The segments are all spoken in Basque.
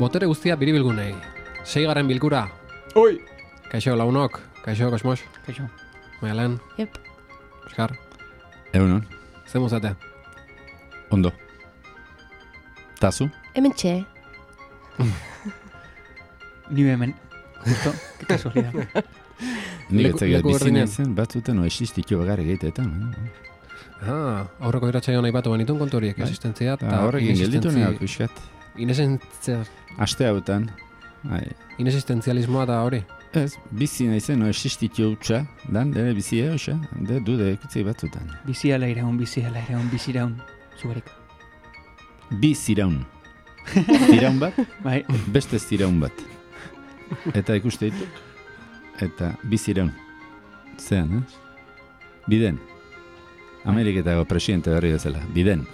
Botere guztia biribilgunei. 6. bilkura. Oi! Kaixo launok, kaixo kosmos. Kaixo. Maialen. Yep. Oskar. Egunon. Zer muzate? Ondo. Tazu? Hemen txe. Ni hemen. Justo, que casualidad. Nik Leku etzagat bizi berdinean. naizen batzuten o existitio bagarri egiteetan. Aurreko irratsaioan aipatu genituen kontu horiek, existentzia eta Horrekin gelditu neak pixkat. Aste hautan. Inexistentzialismoa da hori. Ez, bizi naizen o existitio hutsa, dan, dene bizi hoxa, de dude ekutzei batzutan. Bizi ala iraun, biziraun. Zugarik. Bi ziraun. Ziraun bat, Bai. beste ziraun bat. Eta ikuste dituk. Eta bi ziraun. Zean, Biden. Ameriketako presidente berri bezala. Biden.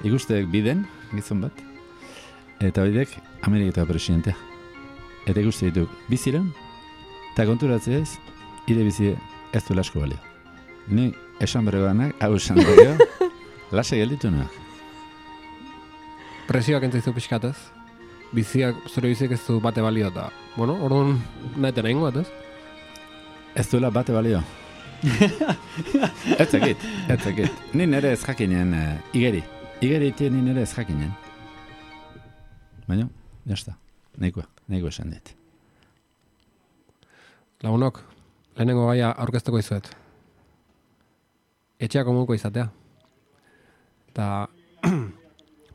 Ikusteek biden, gizon bat. Eta bidek Ameriketako presidentea. Eta ikuste dituk, bi ziraun. Eta konturatzea ez, ire bizi ez du asko balio. Ni esan berreganak, hau esan berrego, lase gelditu nahi. Presioak entzaizu pixkatez. Zure biziak ez du bate balio eta, bueno, orduan naheten egingo bat, ez? Ez duela bate balio. Ez zakit. Ni nere ez jakinen igeri. Igeri ite ni nere ez jakinen. Baina, jazta. Nahiko esan dit. Lagunok, lehenengo gaia aurkezteko izuet. Etxeak komunko izatea. Eta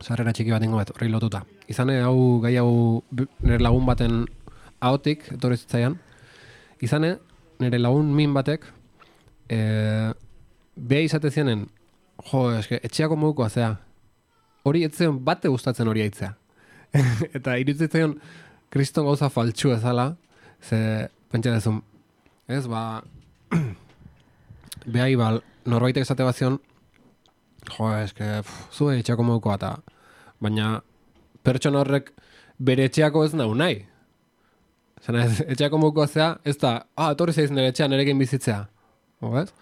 sarrera txiki bat ingo bat, horri lotuta. Izane gai hau nire lagun baten ahotik, etorri zitzaian. Izane nire lagun min batek beha izate zienen, etxeako modukoa zea. Hori etzion bate gustatzen hori aitzea. Eta iruditzen kriston gauza faltsu ezala, ze pentsa dezun, ez, behai norbaitek esate bazion, zue etxeako modukoa eta, baina pertsona horrek bere etxeako ez nahi. Zena etxeako modukoa zea, ez da, etorri zaiz nire etxean nerekin bizitzea. Ez?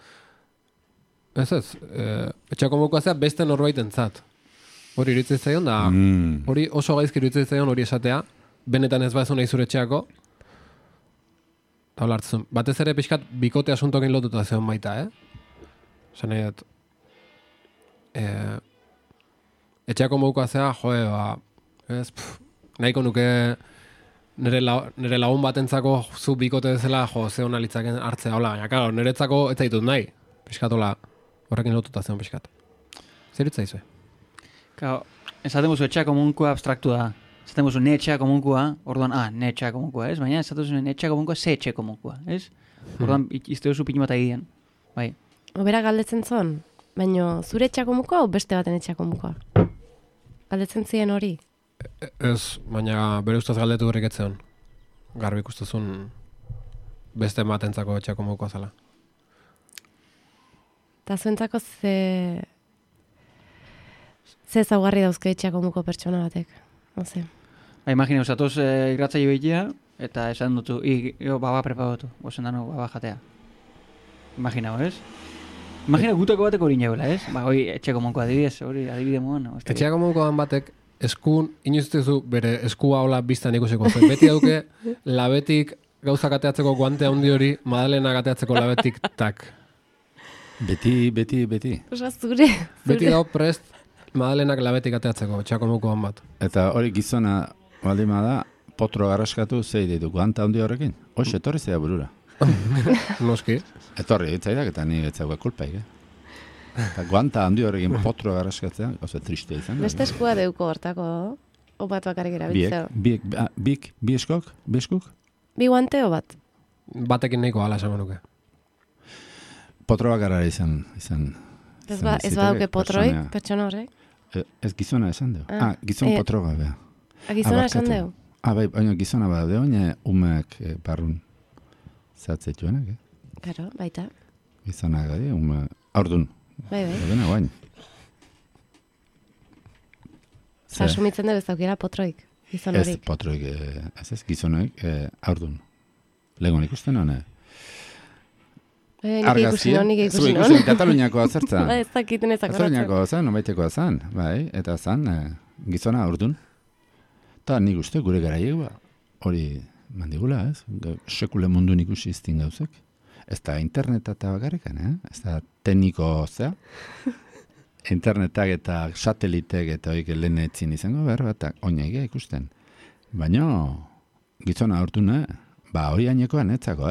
Etxeako modukoa zea beste norbaiten zat. Hori iruditzen zaion da, hori oso gaizki iruditzen zaion hori esatea, benetan ez bazu nahi zure etxeako, eta hola hartzen. Batez ere pixkat bikote asuntokin lotuta zeon baita, Zene, etxeako modukoa zea, nahiko nuke nire lagun batentzako zu bikote bezala, ze hona litzaken hartzea, hola, baina, karo, niretzako ez zaitut nahi, pixkat, hola, horrekin lotuta zeon pixkat. Zer itzaizue? Claro, esaten guzu etxea komunkoa abstraktu da. Esaten guzu ne etxea komunkoa, orduan, ne etxea komunkoa, ez? Baina esaten guzu ne etxea komunkoa, ze etxe komunkoa, ez? Orduan, izte duzu pinu bat egidean. Bai. Obera galdetzen zon, baina zure etxea komunkoa o beste baten etxea komunkoa? Galdetzen ziren hori? Ez, baina bere ustez galdetu horrek etzeon. Garbi ikustezun beste ematentzako etxeako modukoa zela. Eta zuentzako ze ezaugarri dauzke etxeako muko pertsona batek. Oze. Imagina, usatoz irratzaile behitea, eta esan dutu, baba preparatu, gozen dano baba jatea. Imagina, ez? Imagina gutako batek hori nagoela, ez? Hori etxeako monko adibidez, hori adibide moan. Etxeako monko batek eskun, inoiztezu bere eskua hola biztan ikusiko zen. Beti dauke, labetik gauzak ateatzeko guante handi hori, Madalena ateatzeko labetik tak. Beti. Osa, zure. Beti dau prest, Madalenak labetik ateatzeko, etxeako mokoan bat. Eta hori gizona baldima da, potro garraskatu zei ditu, guanta handi horrekin. Hoxe, etorri zea burura. Noski. Etorri egitzaidak eta ni etzagoa kulpaik, Eta guanta handi horrekin potro garraskatzea, oso triste izan. Beste eskua deuko hortako, obat bakarrik erabiltzea. Bi eskok? Bi guante o bat? Batekin nahiko ala esango nuke. Potro bakarra izan Ez badauke potroik, pertsona horrek? Ez gizona esan deu. Gizon potroga, beha. Gizona esan deu? Bai, baina gizona badaude, baina umeak barrun zatzetuenak, Karo, baita. Gizonak gadi, aurdun. Bai. Dena guain. Asumitzen dugu ez daukera potroik, gizon horik. Ez potroik, ez gizonak aurdun. Legon ikusten hone? Nik ikusi non. Kataluniakoa zertza. Ez dakiten ez akoratzen. Kataluniakoa zan, nomaitekoa zan, bai, eta zan, gizona aurdun. Ta nik uste gure garaiek hori mandigula, ez? Sekule mundun ikusi iztin gauzek. Ez da interneta eta bakarrikan, ez da tekniko zea. Internetak eta satelitek eta hoik lehen etzin izango behar bat, oinaiga ikusten. Baina, gizona hortuna, hori ainekoan etzako,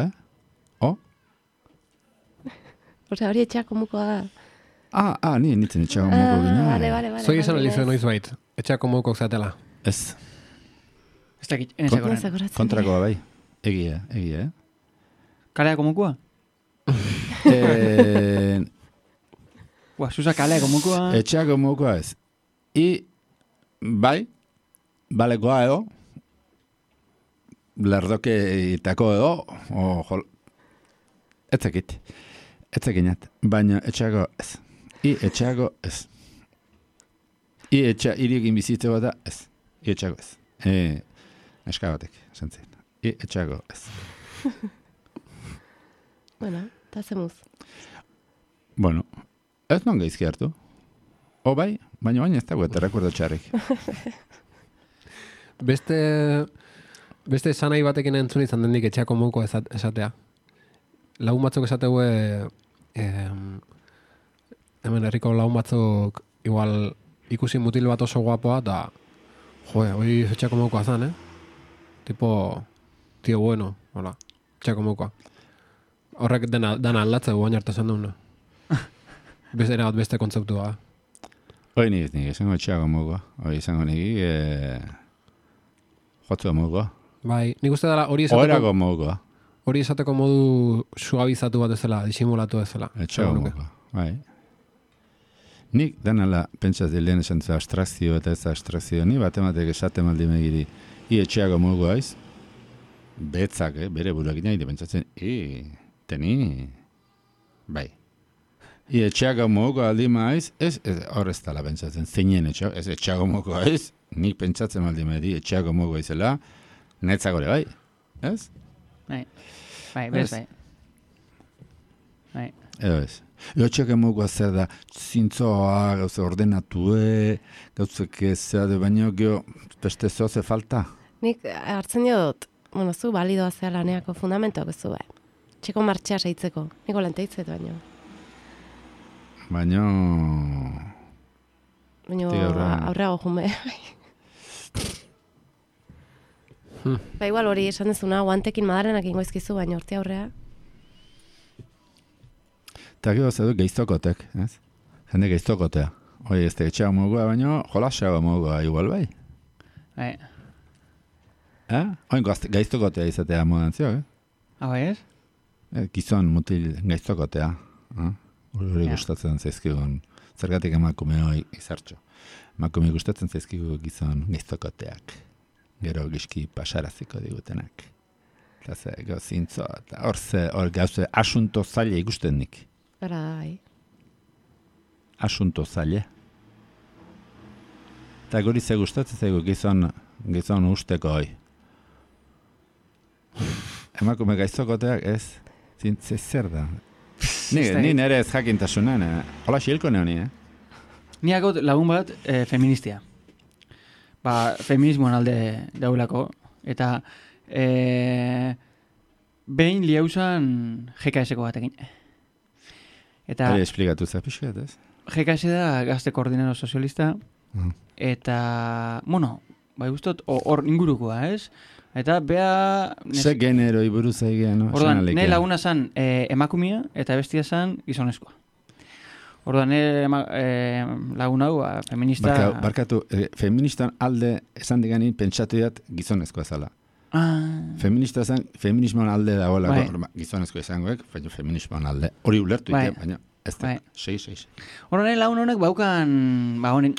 Osea, hori etxeako mukoa da. Ni nintzen etxeako muko gina. Vale. Zoi esan alizu noiz bait, etxeako mukok zatela. Ez. Ez dakit, enezakoren. Kontrakoa bai. Egia. Kaleako mukua? Susa kaleako mukua? Etxeako mukua ez. Bai, balekoa edo, lerdoke itako edo, etzekinat, baina etxeako ez. Etxeako ez. Iriekin bizitzeko da ez. Etxeako ez. Eska batek, zentzen. Etxeako ez. Bueno, eta zemuz. Bueno, ez non gaizki hartu. Bai, baina ez dago eta rekordo txarrik. Beste esanai batekin entzun izan dendik etxeako muko esatea. Lagun batzuk esateu hemen herriko lagun batzuk igual ikusi mutil bat oso guapoa eta hori etxeako mukoa zan, Tipo, tío bueno, hola, etxeako mukoa. Horrek dana aldatze guain arte esan duna. Beste kontzeptua. Hoi nik esango etxeako mukoa. Hoi esango nik jotzua mukoa. Bai, nik uste dela hori Oerako mukoa. Hori esateko modu suabizatu bat ezela, disimulatu ezela. Etxeako mukoa, bai. Nik danala pentsaz lehen esan zu abstrakzio eta ez abstrakzio. Ni batematek esaten maldi megiri etxeako mukoa aiz. Betzak, bere buruak nahi pentsatzen, teni, bai. Etxeako mukoa aldi maiz, ez hor ez tala pentsatzen, zeinen etxeako, ez etxeako mukoa aiz. Nik pentsatzen maldi megiri etxeako mukoa izela, netzakore bai, ez? Bai, bez bai. Edo ez. Etxeako mukoa zer da, zintzoa, gauze ordenatue, gauzek ez da, baina geho, beste zoze falta. Nik hartzen diot, zu balidoa zea laneako fundamentoak ez du, Txeko martxea saitzeko. Niko lanteitzet baino. Baina aurreago jume. Igual hori esan dezuna, guantekin madarenak ingoizkizu, baina urte aurrea. Eta gero zedu geiztokotek, ez? Jende geiztokotea. Hoi ez etxeago mugoa, baina jolaseago mugoa igual bai. Oin gaiztokotea izatea modan zio, Bai ez? Gizon mutil gaiztokotea. Hori gustatzen zaizkigun. Zergatik emakume hoi izartxo. Emakume gustatzen zaizkigu gizon gaiztokoteak. Gero gizki pasaraziko digutenak. Eta ze, zintzo, eta hor gauze asunto zaila ikusten nik. Hora da, bai. Asunto zaila. Eta guri ze gustatzen zaigu gizon usteko hoi. Emakume gaiztokoteak ez, zintze zer da. Ni nere ez jakintasunan, hola xilko neoni, Ni agot lagun bat feministia. Feminismoan alde daulako. Eta behin liauzan GKS-eko batekin. Eta hori esplikatu za pixkat, ez? GKS da gazte koordinero sozialista. Eta, bai guztot, hor ingurukoa, ez? Eta bea... Ze genero iburuz egian, no? Orduan, ne laguna zan emakumia eta bestia zan gizonezkoa. Orduan, lagun hau, feminista... Barkatu, feministan alde esan diganin pentsatu dat gizonezkoa zala. Feminista zen, feminismoan alde dagoelako, gizonezkoa izangoek, feminismoan alde. Hori ulertu ite, baina ez da, 6. Orduan, lagun honek baukan,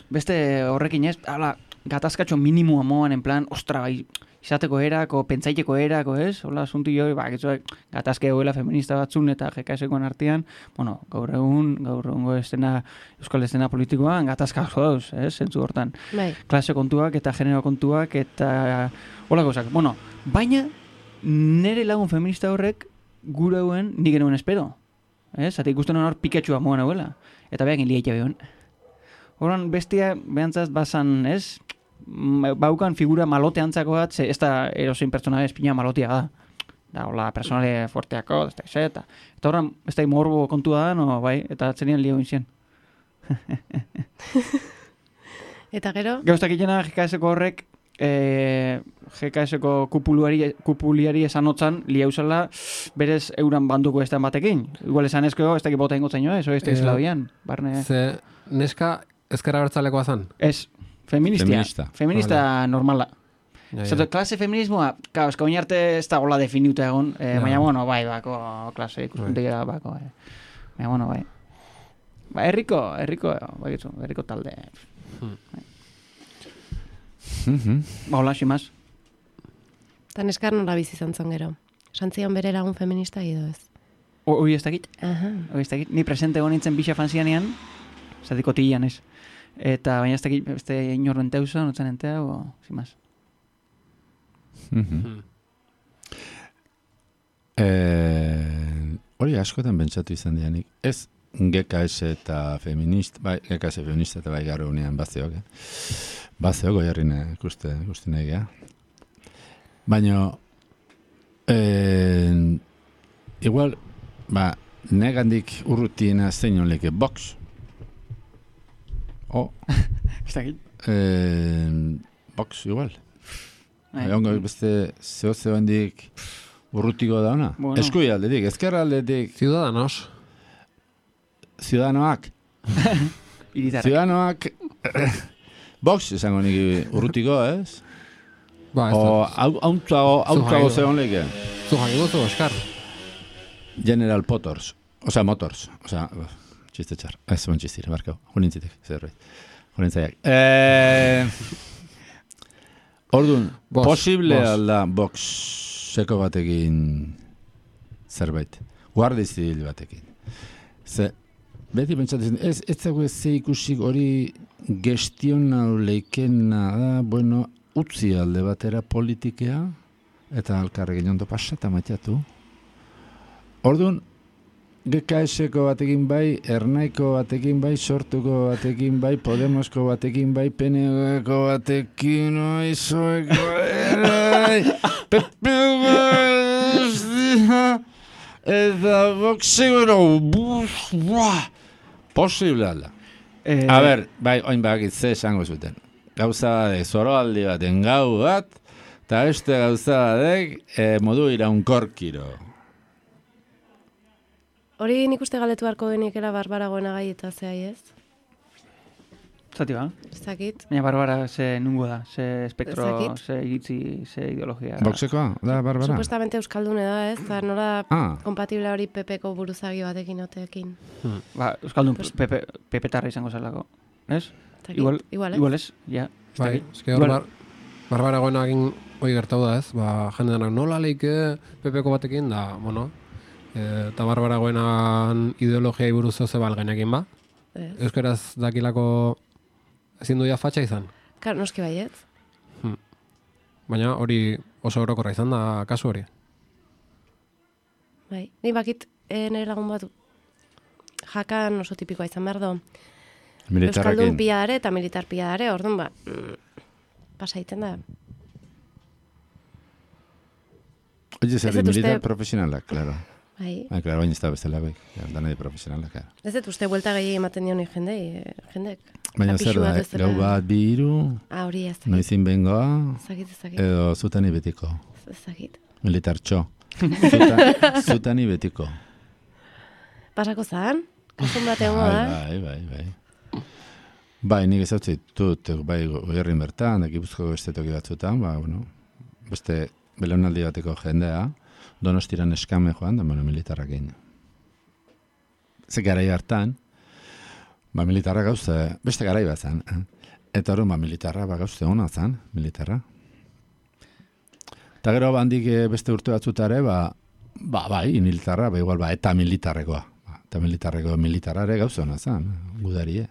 beste horrekin ez, gatazkatxo minimua moan, en plan, ostra, bai, izateko erako, pentsaiteko erako, ez? Hola, asunti joi, gatazke goela feminista batzun eta GKS-koan artean, gaur egungo euskal estena politikoan, gatazka oso dauz, ez? Zentzu hortan. Klase kontuak eta genero kontuak eta hola gauzak. Baina, nire lagun feminista horrek gure hauen nik genuen espero. Ez? Zate ikusten hor piketxua moan hauela. Eta behakin liaita behon. Horan, bestia, behantzaz, bazan, ez? baukan figura malote antzako bat, ze ez da erosein pertsona espina malotia da. Da, hola, personale fuerteako, eta horren, ez da morbo kontua da, no, bai, eta atzenian lio inzien. Eta gero? Gauztak itena GKS-ko horrek, GKS-ko kupuliari esan otzan, lia usala, berez euran banduko estan batekin. Igual esan ezko, ez dakit bota ingotzen jo, ez da izela bian, barne. Ze, neska ezkera bertzalekoa zan? Ez, feminista vale. Normala. Zato, klase feminismoa, ez ka oinarte ez da gola definiuta egon, baina, bueno, bai, bako klase ikuspuntegia bako, baina, bueno, bai. Ba, herriko talde. Ba, hola, ximaz. Eta neskar nola bizi izan zen gero. Santzion bere lagun feminista edo ez? Hoi ez dakit. Ni presente egon nintzen bixa fanzianean, zatiko tilan ez. Eta baina ez dakit, beste inorren teuso, notzen entea, o, ximaz. Hori askotan bentsatu izan dianik. Ez GKS eta feminista, bai, GKS feminista eta bai garo unean bazeok, bazeok goiarrin ikuste nahi geha. Baina, igual, ba, negandik urrutiena zein honleke box. Ez dakit? Box, igual. Egongo beste zeo hendik urrutiko da ona. Bueno. Eskui aldetik, ezkerra aldetik. Ciudadanoak. Ciudadanoak. Box, esango nik urrutiko, ez? Ba, o hautzago zeo honleke. Zu jango zu, Oskar. General Motors. Osea, Motors. Osea, txiste txar. Ez zuen txistire, barkau. Junintzitek, zerreit. Junintzaiak. Orduan, posible alda boxeko batekin zerbait. Guardia zibil batekin. Ze, beti pentsatzen, ez zago ez ze ikusik hori gestionau leikena da, bueno, utzi alde batera politikea, eta alkarrekin ondo pasata matiatu. Orduan, GKS-ko batekin bai, Ernaiko batekin bai, Sortuko batekin bai, Podemosko batekin bai, PNG-ko batekin, Oizoeko eta boxego, posible alda. A ber, bai, oin bakit ze esango zuten. Gauza badek, zoroaldi baten gau bat, eta beste gauza badek, modu iraunkorkiro. Hori nik uste galdetu harko genikela Barbara Goenagai eta zehai ez? Zati ba? Zakit. Baina Barbara ze nungo da, ze espektro, ze iritzi, ze ideologia. Boxekoa, da Barbara? Supuestamente euskaldune da ez, eta nola kompatible hori PP-ko buruzagi batekin otekin. Ba, euskaldun PP-tarra izango zelako, ez? Igual ez, ja. Bai, eski hor Barbara Goenagin hori gertau da ez, ba, jende denak nola leike PP-ko batekin, da, bueno, eta Barbara Goenagan ideologiai buruz oze balgenekin ba. Euskaraz dakilako ezin duia fatxa izan. Klar, noski baiet. Baina hori oso orokorra izan da kasu hori. Bai, ni bakit nire lagun bat jakan oso tipikoa izan behar do. Euskaldun pila dare eta militar pila dare, orduan ba, pasa egiten da. Oye, zer militar profesionalak, claro. Bai. Claro, baina ez da bestela bai, danai profesionalak. Ez dut uste buelta gehi ematen dion jendek. Baina zer da, gau bat bi hiru, hori ez. Noizin bengoa, edo zutani betiko. Ezagit. Militartxo. Zutani betiko. Pasako zan? Kasun bat egon da? Bai. Bai, nik ezautzit dut, bai, goierrin bertan, Gipuzkoako beste toki batzutan, ba, bueno, beste belaunaldi bateko jendea, Donostiran eskame joan, da militarrak egin. Ze garai hartan, ba militarra gauze, beste garai bat zen. Eta hori, ba militarra, ba gauze hona zen, militarra. Eta gero bandik beste urte batzutare, bai, militarra, ba igual, ba, eta militarrekoa. Eta militarrare gauze hona zen, gudarie.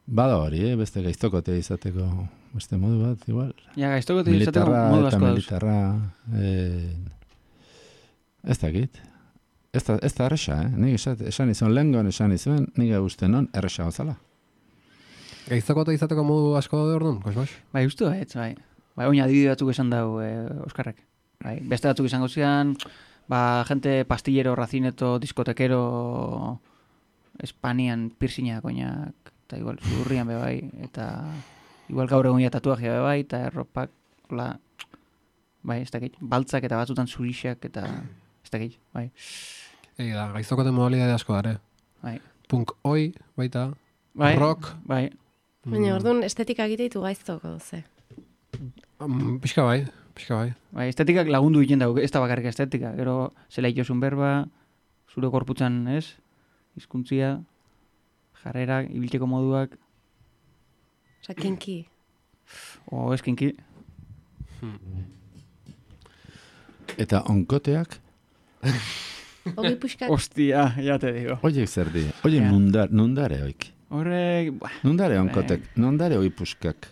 Bada hori, beste gaiztokote izateko, beste modu bat, igual. Ja, gaiztokote izateko modu asko dauz. Militarra, ez dakit. Ez da erresa, Nik esan izan lehengon esan izan, nik guzten non erresa gozala. Gaiztoko eta izateko modu asko daude orduan, Kosmos? Bai, uste baietz, bai. Bai, oina adibide batzuk esan dau Oskarrek. Bai, beste batzuk izango zian, gente pastillero, racineto, diskotekero, Espanian piercinga koinak, eta igual zurrian be bai, eta igual gaur egun tatuajea be bai, eta erropak, hola, bai, ez dakit, baltzak eta batzutan zurixak, eta ez dakit, bai. Da, gaiztoko modalidade asko dare. Bai. Punk oi, baita, bai, rock. Bai. Baina, orduan, estetika egiteitu gaiztoko, ze. Pixka bai. Bai, estetikak lagundu egiten dago, ez da bakarrik estetika. Gero, zela itosun berba, zure korputzan, ez? Hizkuntzia, jarrera, ibiltzeko moduak. Osa, kinki. Ez kinki. Eta onkoteak? Ogi puxkak. Ostia, ya te digo. Oiek zer di? Oie nundare oik. Horrek... Nundare onkotek, nundare oi puskak.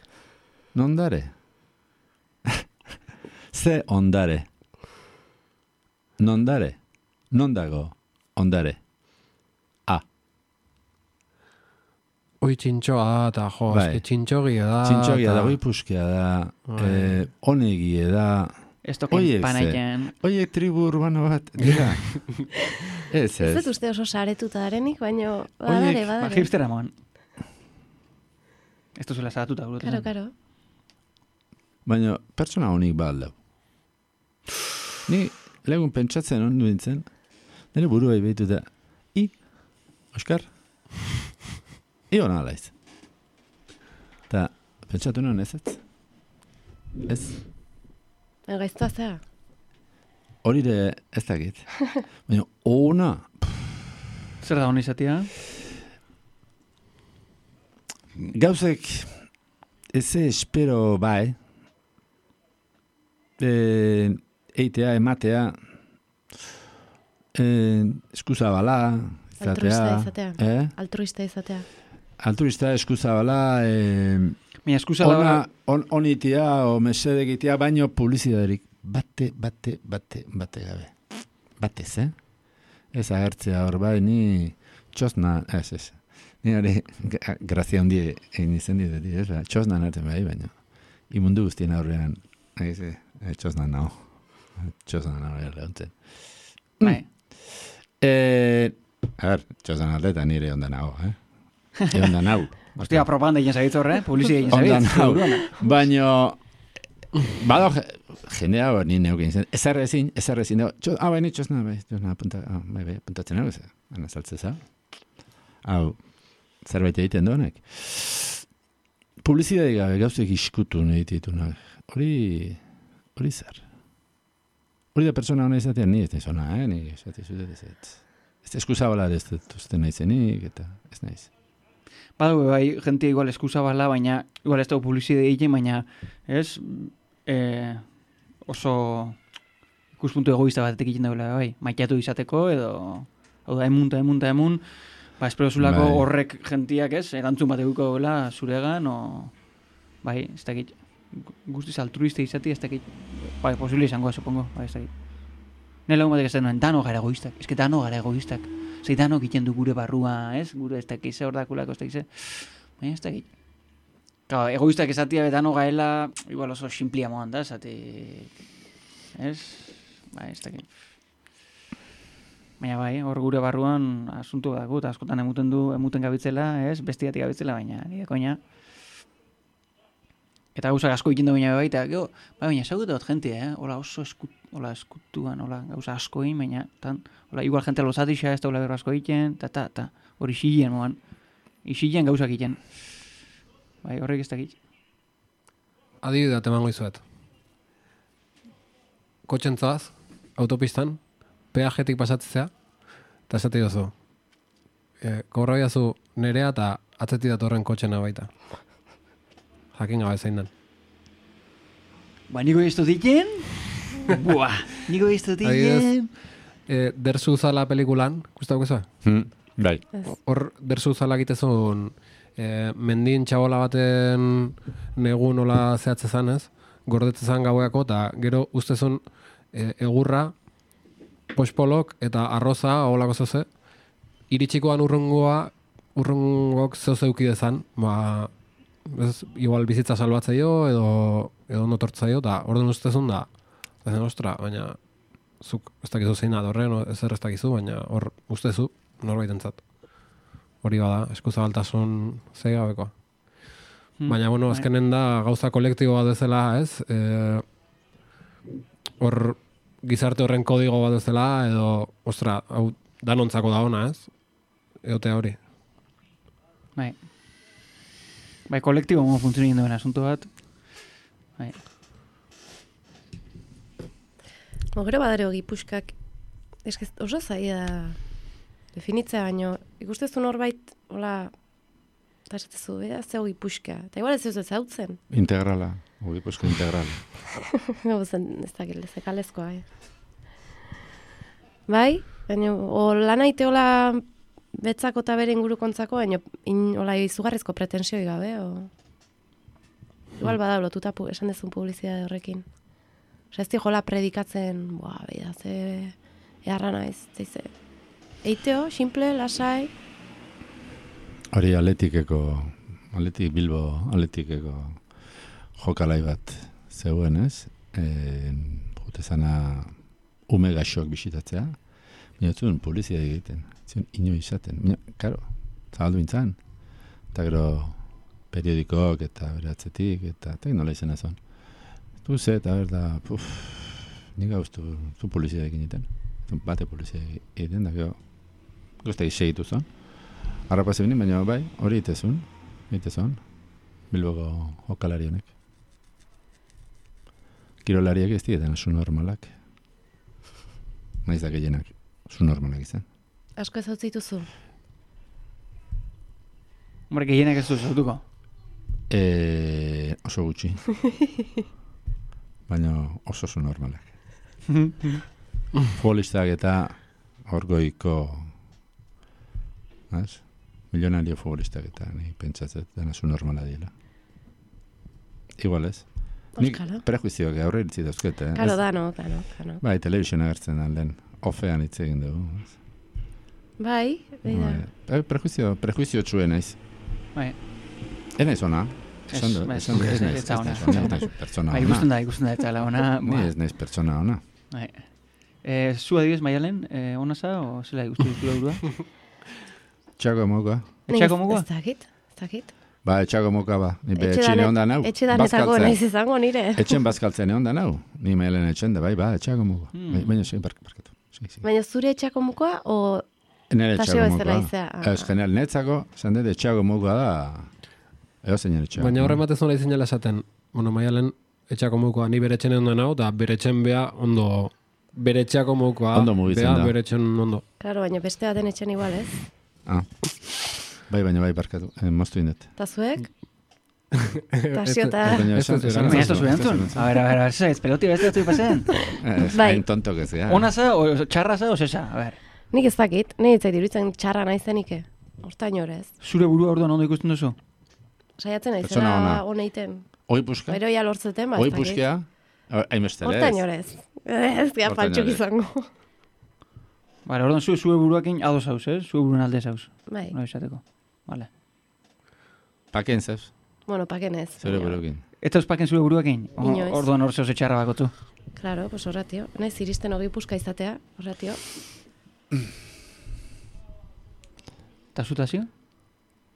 Nundare. Ze ondare. Nondare. Nondago ondare. Oi txintxoa eta jo, Bai. eske txintxogia da. Txintxogia da, oi puskia da, onegie da. Ez token panaiten. Oiek tribu urbano bat, dira. Ez. Ez dut uste oso saretuta darenik, baina badare. Hipstera moan. Ez duzula saratuta. Karo. Baina pertsona honik baldau. Ni legun pentsatzen ondu nintzen, nire burua behitu da, Oskar, hona alaiz. Eta pentsatu nuen ez. Gaiztua zea. Hori de ez dakit. Baina ona. Zer da honi izatea? Gauzek ez espero bai. Eitea, ematea, eskuzabala, izatea. Altruista izatea. Altruista, eskuzabala, eskuzabala... onitia o mesedegitia, baino publizidaderik. Bate gabe. Batez, Ez agertzea hor bai, ni txosna, ez. Ni hori grazia hundi egin izen dit, ez? Txosna nartzen bai, baina. Imundu guztien aurrean, txosna naho. Lehuntzen. Bai. Txosna nartzen eta nire ondan naho, Ondan nahu. Hostia, propaganda egin zagitz horre, publizia egin zagitz. Baina, bado jendea ni neukin zen. Ezarrezin dago. Baina txosna, puntatzen nago, ana saltzeza. Hau, zerbait egiten donek. Publizidade gabe gauzek iskutu nahi ditunak. Hori zer. Hori da persona hona izatean ni ez da zona, ni esate zudet ez. Ez eskuzabala ez dut nahi zenik, eta ez nahiz. Badu, bai, jentia igual eskuzabala, baina igual ez dago publizidade egin, baina ez oso ikuspuntu egoista batetik egiten dagoela, bai, maiteatu izateko, edo hau da, emun, espero zulako horrek jentiak ez, erantzun bat eguko dagoela zuregan, bai, ez dakit, guztiz altruista izati, ez dakit, bai, posible izango, supongo, bai, ez dakit. Nire lagun batek ez denuen, dano gara egoistak, ez que dano gara egoistak, zei dano egiten du gure barrua, ez, gure ez dakize, hor dakulako ez dakize, baina ez dakit. Claro, egoistak esatia dano gaela, igual oso simplia moan da, esate, ez, bai, ez dakit. Baina bai, hor gure barruan asuntu dago, eta askotan emuten gabitzela, ez, bestiatik gabitzela, baina nire koina. Eta gauza asko egiten baina bai, eta gero, baina ezagut dut jente, hola oso eskutuan, hola gauza asko egin, baina, hola igual jente lozatixa, ez da hola berro asko egiten, eta hori xilien moan, xilien gauzak egiten. Bai, horrek ez dakit. Adibidea temango izuet. Kotxentzaz, autopistan, peajetik pasatzea, eta esate jozu. Korra biazu nerea eta atzeti datorren kotxena baita. Jakin gabe zein den. Ba, niko iztu diken? Buah, niko iztu diken? Dersu Zala pelikulan, guztau guzua? Bai. Hor, Dersu Zala egitezun mendin txabola baten negu nola zehatzezan ez, gordetzezan gaueako, eta gero ustezun egurra, pospolok eta arroza, holako zoze, iritsikoan urrungok zoze eukidezan, igual bizitza salbatzaio edo notortzaio, eta orduan ustezun da, ostra, baina zuk ez dakizu zein da horren, ezer ez dakizu, baina hor ustezu norbaitentzat. Hori bada, eskuzabaltasun zeigabekoa. Baina, bueno, azkenen da gauza kolektibo bat bezala, ez? Hor gizarte horren kodigo bat bezala, edo, ostra, hau danontzako da ona, ez? Eotea hori. Bai, kolektibo mo funtzionin duen asunto bat. Bai. Gero badare hogi puskak, oso zaila definitzea baino, ikustezu norbait, hola, eta esatezu, ze hogi puska. Eta igual ez zautzen. Integrala, hogi puska integrala. Ez dakil, zekalezkoa, Bai, baina, lan aite hola betzako eta bere ingurukontzako, baina hola izugarrizko pretensioi gabe, igual bada lotuta esan dezun publizitate horrekin. Osa ez di jola predikatzen, beida, ze eharra naiz, zeize. Eiteo, simple, lasai. Hori Athletic Bilbo Athleticeko jokalai bat zeuen, ez? Jute zana ume gaxoak bisitatzea, minotzun publizia egiten, zion ino izaten. Karo, zabaldu bintzan, eta gero periodikoak eta beratzetik, eta nola izan ezon. Ze, eta berda, nik gauztu zu polizia egiten. Bate polizia egiten, da gero guztai segitu zon. Arrapaz ebinin, baina bai, hori itezun, Bilboko jokalari honek. Kirolariak ez dieten, zu normalak. Naiz da gehienak, zu normalak izan. Asko ez hau zituzu? Hombre, gehienak ez dut zautuko? Oso gutxi. Baina oso zu normalak. Futbolistak eta orgoiko milionario futbolistak eta ni pentsatzet dena zu normala diela. Igual ez. Nik prejuizioak aurre iritzi dauzkete. Karo, dano. Bai, telebizion agertzen alden. Ofean hitz egin dugu. Bai, beida. Prejuizio txuen naiz. Bai. Enaiz ona. Ez pertsona ona. Ikusten da, eta la ona. Ni ez naiz pertsona ona. Zu adibidez, Maialen, ona za, o zela ikustu ditu burua? Txako moka. Etxako moka? Ez dakit. Ba, etxako moka ba. Ni etxin egon da nau. Etxedanetako naiz izango nire. Etxen bazkaltzen egon da nau. Ni Maialen etxen da, bai, etxako moka. Baina barkatu. Baina zure etxako moka, o nire tasio bezala izea? Ez, general, netzako, zan dut etxako moka da, ego zeinen etxako. Baina horre matez nola izinela esaten, Maialen etxako mokoa ni bere etxen egon da nau, eta bere etxen beha ondo, bere etxako mokoa, ondo mugitzen da. Bere etxen ondo. Claro, baina beste baten etxen igual, ez? Bai, barkatu, moztu indet. Ta zuek? Tasio eta... Baina ez zuen entzun? A ver, ez peloti beste dut pasen? Hain tonto que zea. Ona za, o txarra za, o zesa? A ver. Nik ez dakit, nik ez diruditzen txarra naizenike. Hortain horrez. Zure burua orduan ondo ikusten duzu? Saiatzen naizela honeiten. Oi puska? Bero ja lortzeten, ba. Oi puskea? Haimestere ez? Hortain horez. Ez dira pantxuk izango. Vale, orduan zure buruakin ados hauz, eh? Zure buruen alde hauz. Bai. No izateko. Vale. Paken zeuz? Bueno, paken ez. Zure buruakin. Eta eus paken zure buruakin? Inoiz. Orduan hor zehoz etxarra bakotu. Claro, pues horratio. Naiz iristen hogei puska izatea, horratio. Eta zutazio?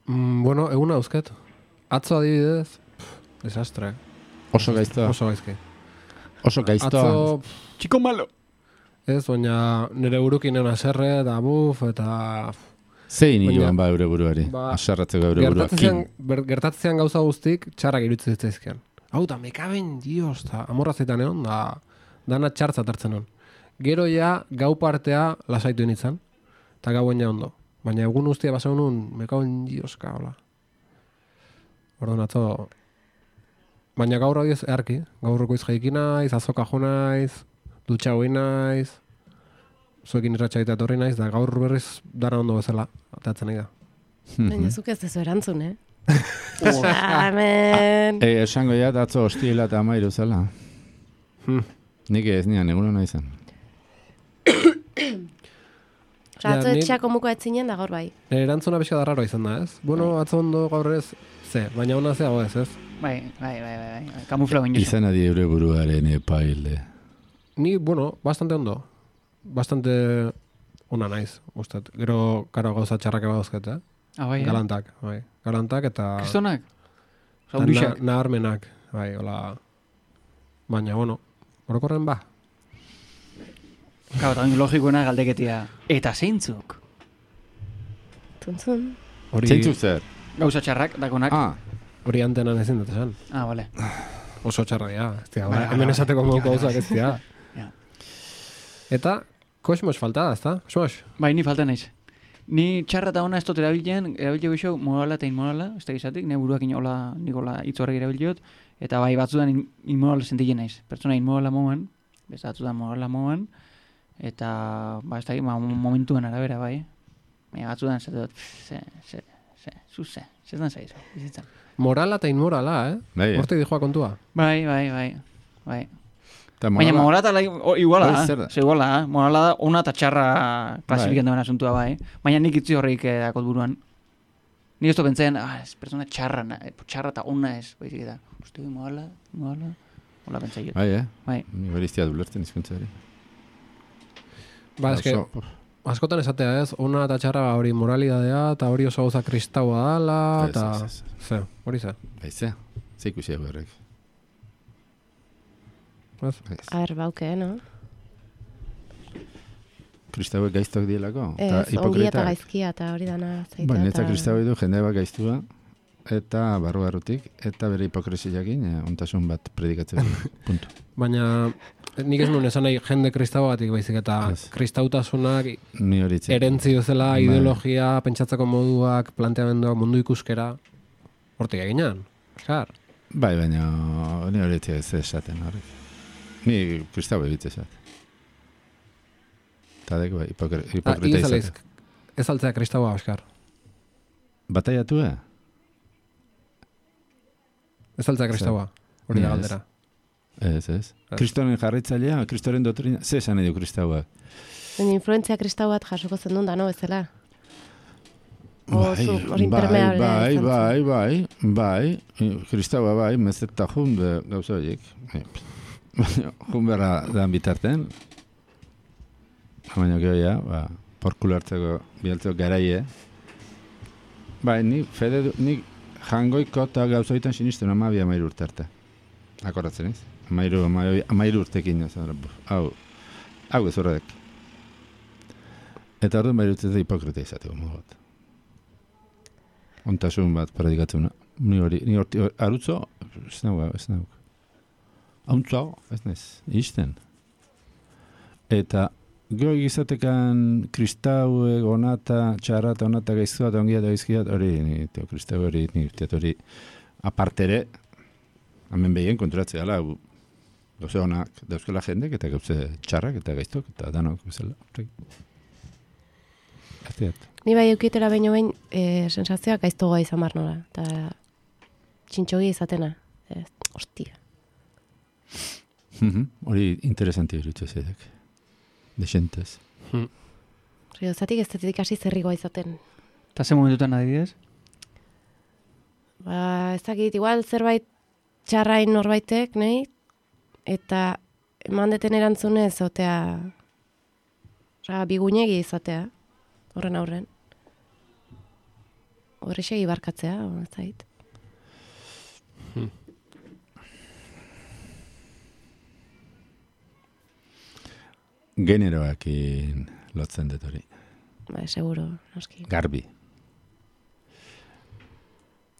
Bueno, eguna dauzket. Atzo adibidez, desastre. Oso gaiztoa. Oso gaizki. Oso gaiztoa. Atzo, Chico malo. ez, baina nire burukin egon aserre, eta eta... Zein joan ba eure buruari? Aserratzeko eure buruakin. Gertatzean gauza guztik txarrak iruditzen zitzaizkian. Hau, da mekaben, dios, eta amorrazetan egon, da dana txartzat hartzen hon. Gero ja, gau partea lasaitu nintzen, eta gauen ja ondo. Baina egun guztia basa honun, mekaben, dioska, hola. Orduan atzo... Baina gaur hau ez eharki. Gaur goiz jaiki naiz, azoka jo naiz, dutxa hoi naiz, zuekin irratxaita etorri naiz, da gaur berriz dara ondo bezala, atatzen nahi da. Baina zuk ez dezu erantzun, Amen. Esango ja, atzo hostila eta amairu zela. Nik ez nian, eguno nahi zen. Osa, atzo Ja, etxeako muko etzinen da gaur bai. Erantzuna pixka darraro izan da, ez? Bueno, atzo ondo gaur ez, baina ona zeago ez. Bai. Kamufla baino. Izan adi eure buruaren epaile. Ni, bueno, bastante ondo. Bastante ona naiz, ustat. Gero, karo gauza txarrak eba dauzket, Bai, Galantak, bai. Galantak eta... Kristonak? Naharmenak, bai, hola... Baina, bueno, orokorren ba. Gau, eta logikoena galdeketia. Eta zeintzuk? Tuntzun. Zeintzuk zer? Gauza txarrak, dakonak. Hori antenan ezin dut esan. Vale. Oso txarra dira, ez dira. Hemen esateko moduko gauzak ez dira. Eta, kosmos falta da, ez da? Kosmos? Bai, ni falta naiz. Ni txarra eta ona ez dut erabiltzen goxo morala eta inmorala, ez da gizatik, ne buruak inola, nikola itzorrek erabiltzot, eta bai batzudan inmorala sentitzen naiz. Pertsona inmorala moan, beste batzudan morala moan, eta, ba, ez da, momentuen arabera, bai. Baina batzudan ez dut, zetan zaizu, bizitzan. Morala eta inmorala, Bai, Hortik dijoa kontua. Bai. Baina morala iguala, iguala, morala da ona eta txarra klasifiken duen asuntua bai. Baina nik itzi horreik dakot buruan. Ni ez to pentsen, ez persona txarra eta ona ez, baizik da. Uste morala, hola pentsai jut. Bai, ni beriztia dulertzen izkuntza hori. Ba, eske, askotan esatea ez, ona eta txarra hori moralidadea, eta hori oso gauza kristaua dala, eta... Hori ze. Bai, ze ikusi egu horrek. A ber, bauke, no? Kristauek gaiztok dielako? Ez, ongia eta gaizkia, eta hori dana zaitea. Ba, netza kristauek du jende bat gaiztua, eta barrutik, eta bere hipokresiakin, ontasun bat predikatzen puntu. Baina, nik ez nuen esan nahi jende kristauagatik baizik, eta kristautasunak erentzi duzela, ideologia, pentsatzeko moduak, planteamenduak, mundu ikuskera, hortik eginan, eskar? Bai, baina ni horietzik ez esaten horrek. Ni kristau ebitze esat. Eta dek, bai, hipokrita izaten. Ez altzea kristaua, Oskar. Bataiatu, Ez altzea kristaua, hori da galdera. Ez. Kristoren jarraitzailea, kristoren doktrina, ze esan edo kristaua? Influentzia kristau bat jasoko zen duen da, no, bezala? Hori impermeable. Bai, kristaua bai, mezeta jun gauza horiek. Jun berra dan bitarten, baina gero ja, porkulo hartzeko bialtzeko garaie. Bai, ni jangoiko eta gauza horietan sinisten 12 urte arte. Akordatzen ez? 12 urtekin, hau ez horrek. Eta orduan 12 urte hipokrita izateko modu bat. Ontasun bat predikatzen. Ni hori arutzo, ez nago. Hauntzago, ez nez, izten. Eta gero gizatekan kristauek, onata, txarrata, onata, gaiztua, ongia eta gaizkia, hori, kristau hori, hori, apartere, hemen behien konturatzea dela, gauze honak dauzkela jendek, eta gauze txarrak, eta gaiztok, eta danok, bezala. Ni bai eukietera behin sensazioak gaiztogoa izan bar nola, eta txintxogia izatena. Ostia. Hori interesanti irutze zedek. Desentez. Zatik ez zetik hasi zerrigoa izaten. Eta ze momentutan adibidez? Ba, ez dakit, igual zerbait txarrain norbaitek, nahi? Eta eman deten erantzunez, otea, bigunegi izatea, horren aurren. Horrexegi barkatzea, ez zait. Generoakin lotzen dut hori. Ba, seguro, noski. Garbi.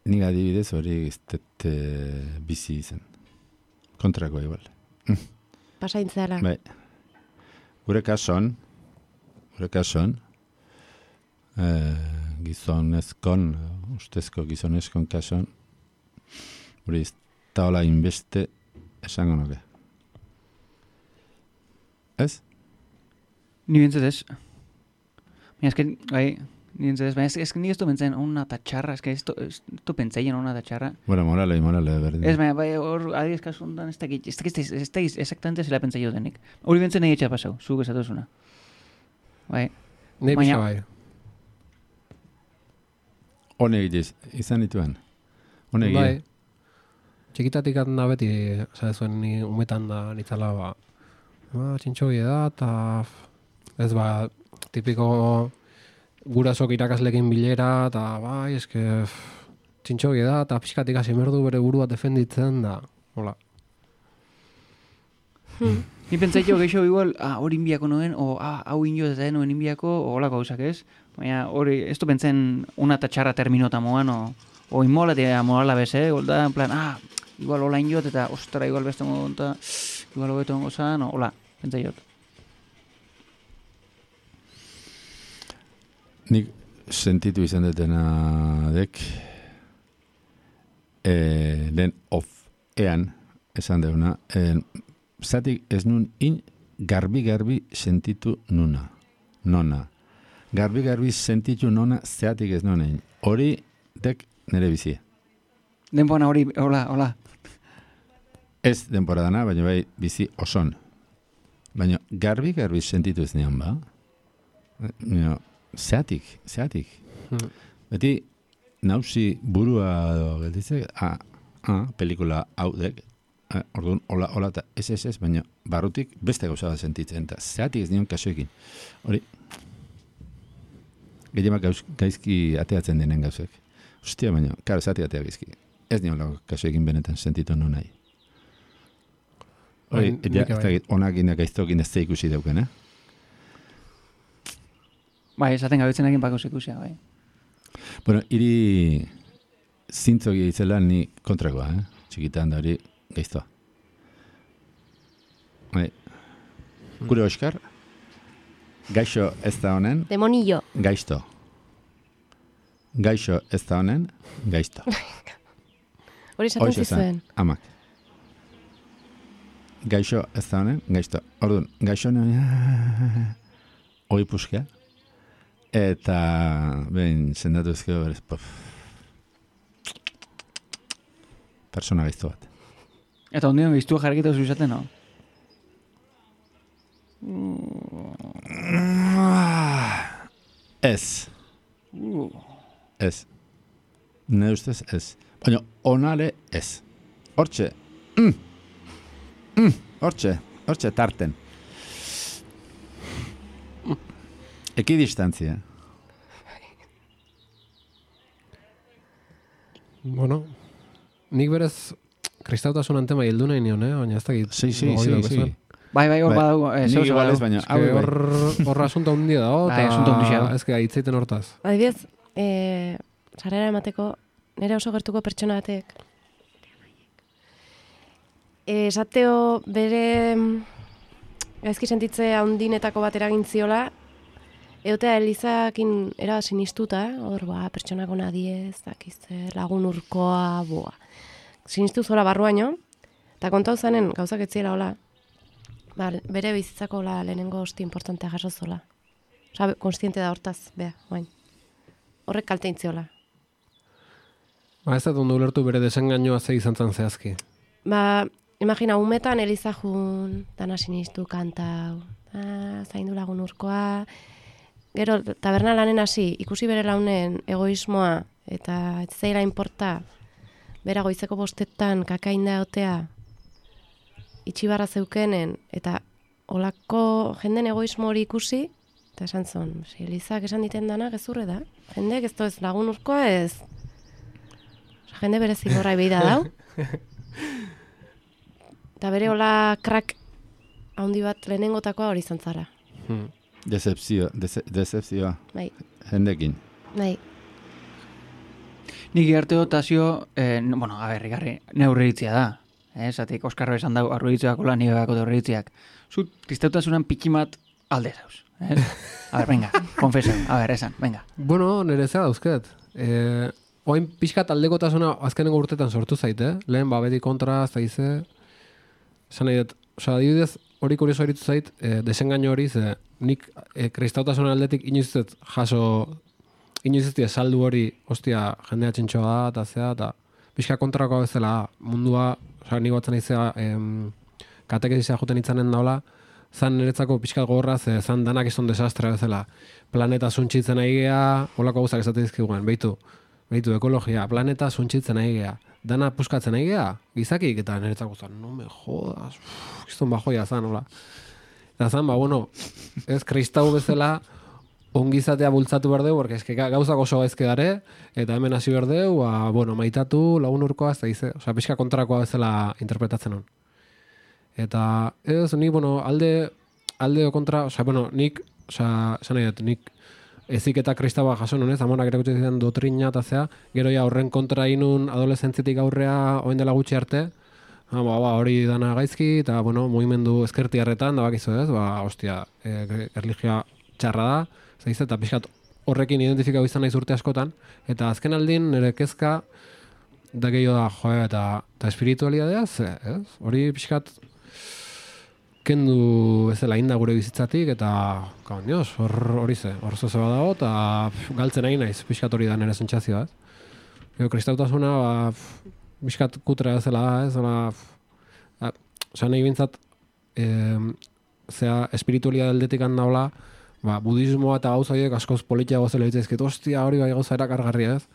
Nik adibidez hori iztet bizi izan. Kontrako igual. Pasaintzela. Bai. Gure kason, gizonezkon, ustezko gizonezkon kason, hori ez taola inbeste esango nuke. Ez? Ni bintzat ez. Baina ezken, ni bintzat ez. Baina ezken ni ez du bentzaien ona eta txarra. Ez du pentsaien ona eta txarra. Bueno, morale, berdin. Ez, baina hor adiez kasuntan ez dakit. Ez dakit exactamente zela pentsaio denik. Hori bentzen nahi etxea pasau, zuk esatuzuna. Bai. Nei Baina- pixka bai. Honek izan dituen. Honek Bai. Txikitatik da beti, zuen ni umetan da nitzala, txintxogi da, eta ez tipiko gurasok irakaslekin bilera, eta bai, eske txintxogi da, eta pixkatik hasi merdu bere burua defenditzen da, hola. Ni pentsaitio gehiago igual, hori inbiako noen, o hau inio eta noen inbiako, o holako gauzak ez. Baina hori, ez du pentsen una eta txarra terminota moan, o inmolatea morala bez, golda, en plan, igual hola injot eta, ostra, igual beste modu eta, igual hobeto ongo zan, hola, pentsaiot. Nik sentitu izan dutena dek, lehen ean, esan deuna, zatik ez nun garbi sentitu nona. Garbi sentitu nona zeatik ez nonein. Hori dek nire bizia. Denpona hori, hola. Ez denpora dana, baina bai bizi oson. Baina garbi sentitu ez nean ba. Zeatik. Beti nausi burua gelditzek, pelikula hau dek, orduan, hola, eta ez, baina barrutik beste gauza bat sentitzen, eta zeatik ez nion kasuekin. Hori, gehiemak gaizki ateatzen denen gauzek. Ostia, baina, karo, zeatik atea gaizki. Ez nion kasuekin benetan sentitu non nahi. Hori, onakin gaiztokin ez da ikusi dauken, Bai, esaten gabetzen egin bako ikusia, bai. Bueno, hiri zintzoki itzela ni kontrakoa, txikitan da hori gaiztoa. Bai. Gure Oskar, gaixo ez da honen, Demonillo. gaizto. Gaixo ez da honen, gaizto. Hori esaten Hoxe esan, zizuen. amak. Gaixo ez da honen, gaizto. Orduan, gaixo honen, hoi puskea. Eta, behin, sendatu ezkeo berez, persona gaizto bat. Eta ondion giztua jarriketa zuzaten, no? Ez. Ez. Ne ustez ez. Baina, onale ez. Hortxe. Hortxe tarten. Ekidistantzia. Bueno, nik berez kristautasunan tema hildu nahi nion, baina ez dakit. Sí. Bai, hor badago. Nik igual ez, baina Horra asunto handia dago, Bai, asunto handia da. eta ez que aitzeiten hortaz. Adibidez, sarrera emateko, nire oso gertuko pertsona batek. Esateo bere gaizki sentitze handinetako bat eragin ziola, eotea Elizakin era sinistuta, hor pertsonako nadiez, dakize, lagun urkoa, sinistu zora barruaino, eta kontau zanen gauzak etziela hola, bere bizitzako lehenengo hosti importantea jaso zola. Osa, konstiente da hortaz, oain. Horrek kalte intziola. Ez da ondo ulertu bere desengainoa ze izan zan zehazki. Imagina, umetan Elizajun, dana sinistu kantau, zaindu lagun urkoa, gero, taberna lanen hasi, ikusi bere launen egoismoa, eta ez zaila inporta, bera goizeko bostetan kakainda otea, itxibarra zeukenen, eta olako jenden egoismo hori ikusi, eta esan zon, Elizak esan diten dana gezurre da, jendek ez ez lagun urkoa ez, jende bere zigorra ebeida dau, eta bere hola krak handi bat lehenengotakoa hori izan zara. Decepzioa. Bai. Jendekin. Bai. Nik gerteo tazio, bueno, igarri, neurritzia da. Zatik, Oskarro esan dau, arruitzeako lan nire bako horreitziak. Zut, kristautasunan pikimat alde zauz. Venga, konfesio, esan, venga. Bueno, nire zea dauzket. Oain pixkat aldekotasuna azkenengo urtetan sortu zaite, lehen beti kontra, zaize. Esan nahi dut, adibidez, hori kurioso eritu zait, desengaino hori, ze nik kristautasunan aldetik inoizet jaso, inoizet saldu hori, ostia, jendea txintxoa da, eta zea, eta pixka kontrakoa bezala mundua, nik batzen izea, katekezizea juten itzanen daula, zan niretzako pixkat gogorra, ze zan danak izan desastre bezala. Planeta suntxitzen ari gea, holako gauzak esate dizkiguen, behitu ekologia, planeta suntxitzen ari gea. Dana puskatzen ari gea, gizakik, eta niretzako zan, no me jodas, izan bajoia zan, hola. Eta zan, bueno, ez kristau bezala, ongizatea bultzatu behar dugu, porque eske gauzak oso gaizke dare, eta hemen hasi behar dugu, bueno, maitatu, lagun urkoa, ez da dize, osea, pixka kontrakoa bezala interpretatzen hon. Eta, ez, ni, bueno, alde kontra, osea, bueno, nik, osea, esan nahi dut, nik ezik eta kristaua jaso nunez, amonak erakutsi zidan dotrina eta zea, gero ja horren kontra inun adolescentzitik aurrea, oen dela gutxi arte, hori dana gaizki, eta, bueno, mugimendu ezkertiarretan, da bakizu ez, hostia, erlijioa txarra da, zaiz, eta pixkat horrekin identifikau izan naiz urte askotan, eta azken aldin nire kezka da gehiago da, eta espiritualidadea, ez? Hori pixkat kendu bezala inda gure bizitzatik, eta dios, hori hor zoze badago, eta galtzen nahi naiz, pixkat hori da nire sentsazioa, ez? Kristautasuna, pixkat kutra bezala da, ez? Osa nahi bintzat, espiritualidad aldetik handaula, budismoa eta gauza horiek askoz politiago zela ditzezket, ostia, hori bai gauza erakargarria, ez?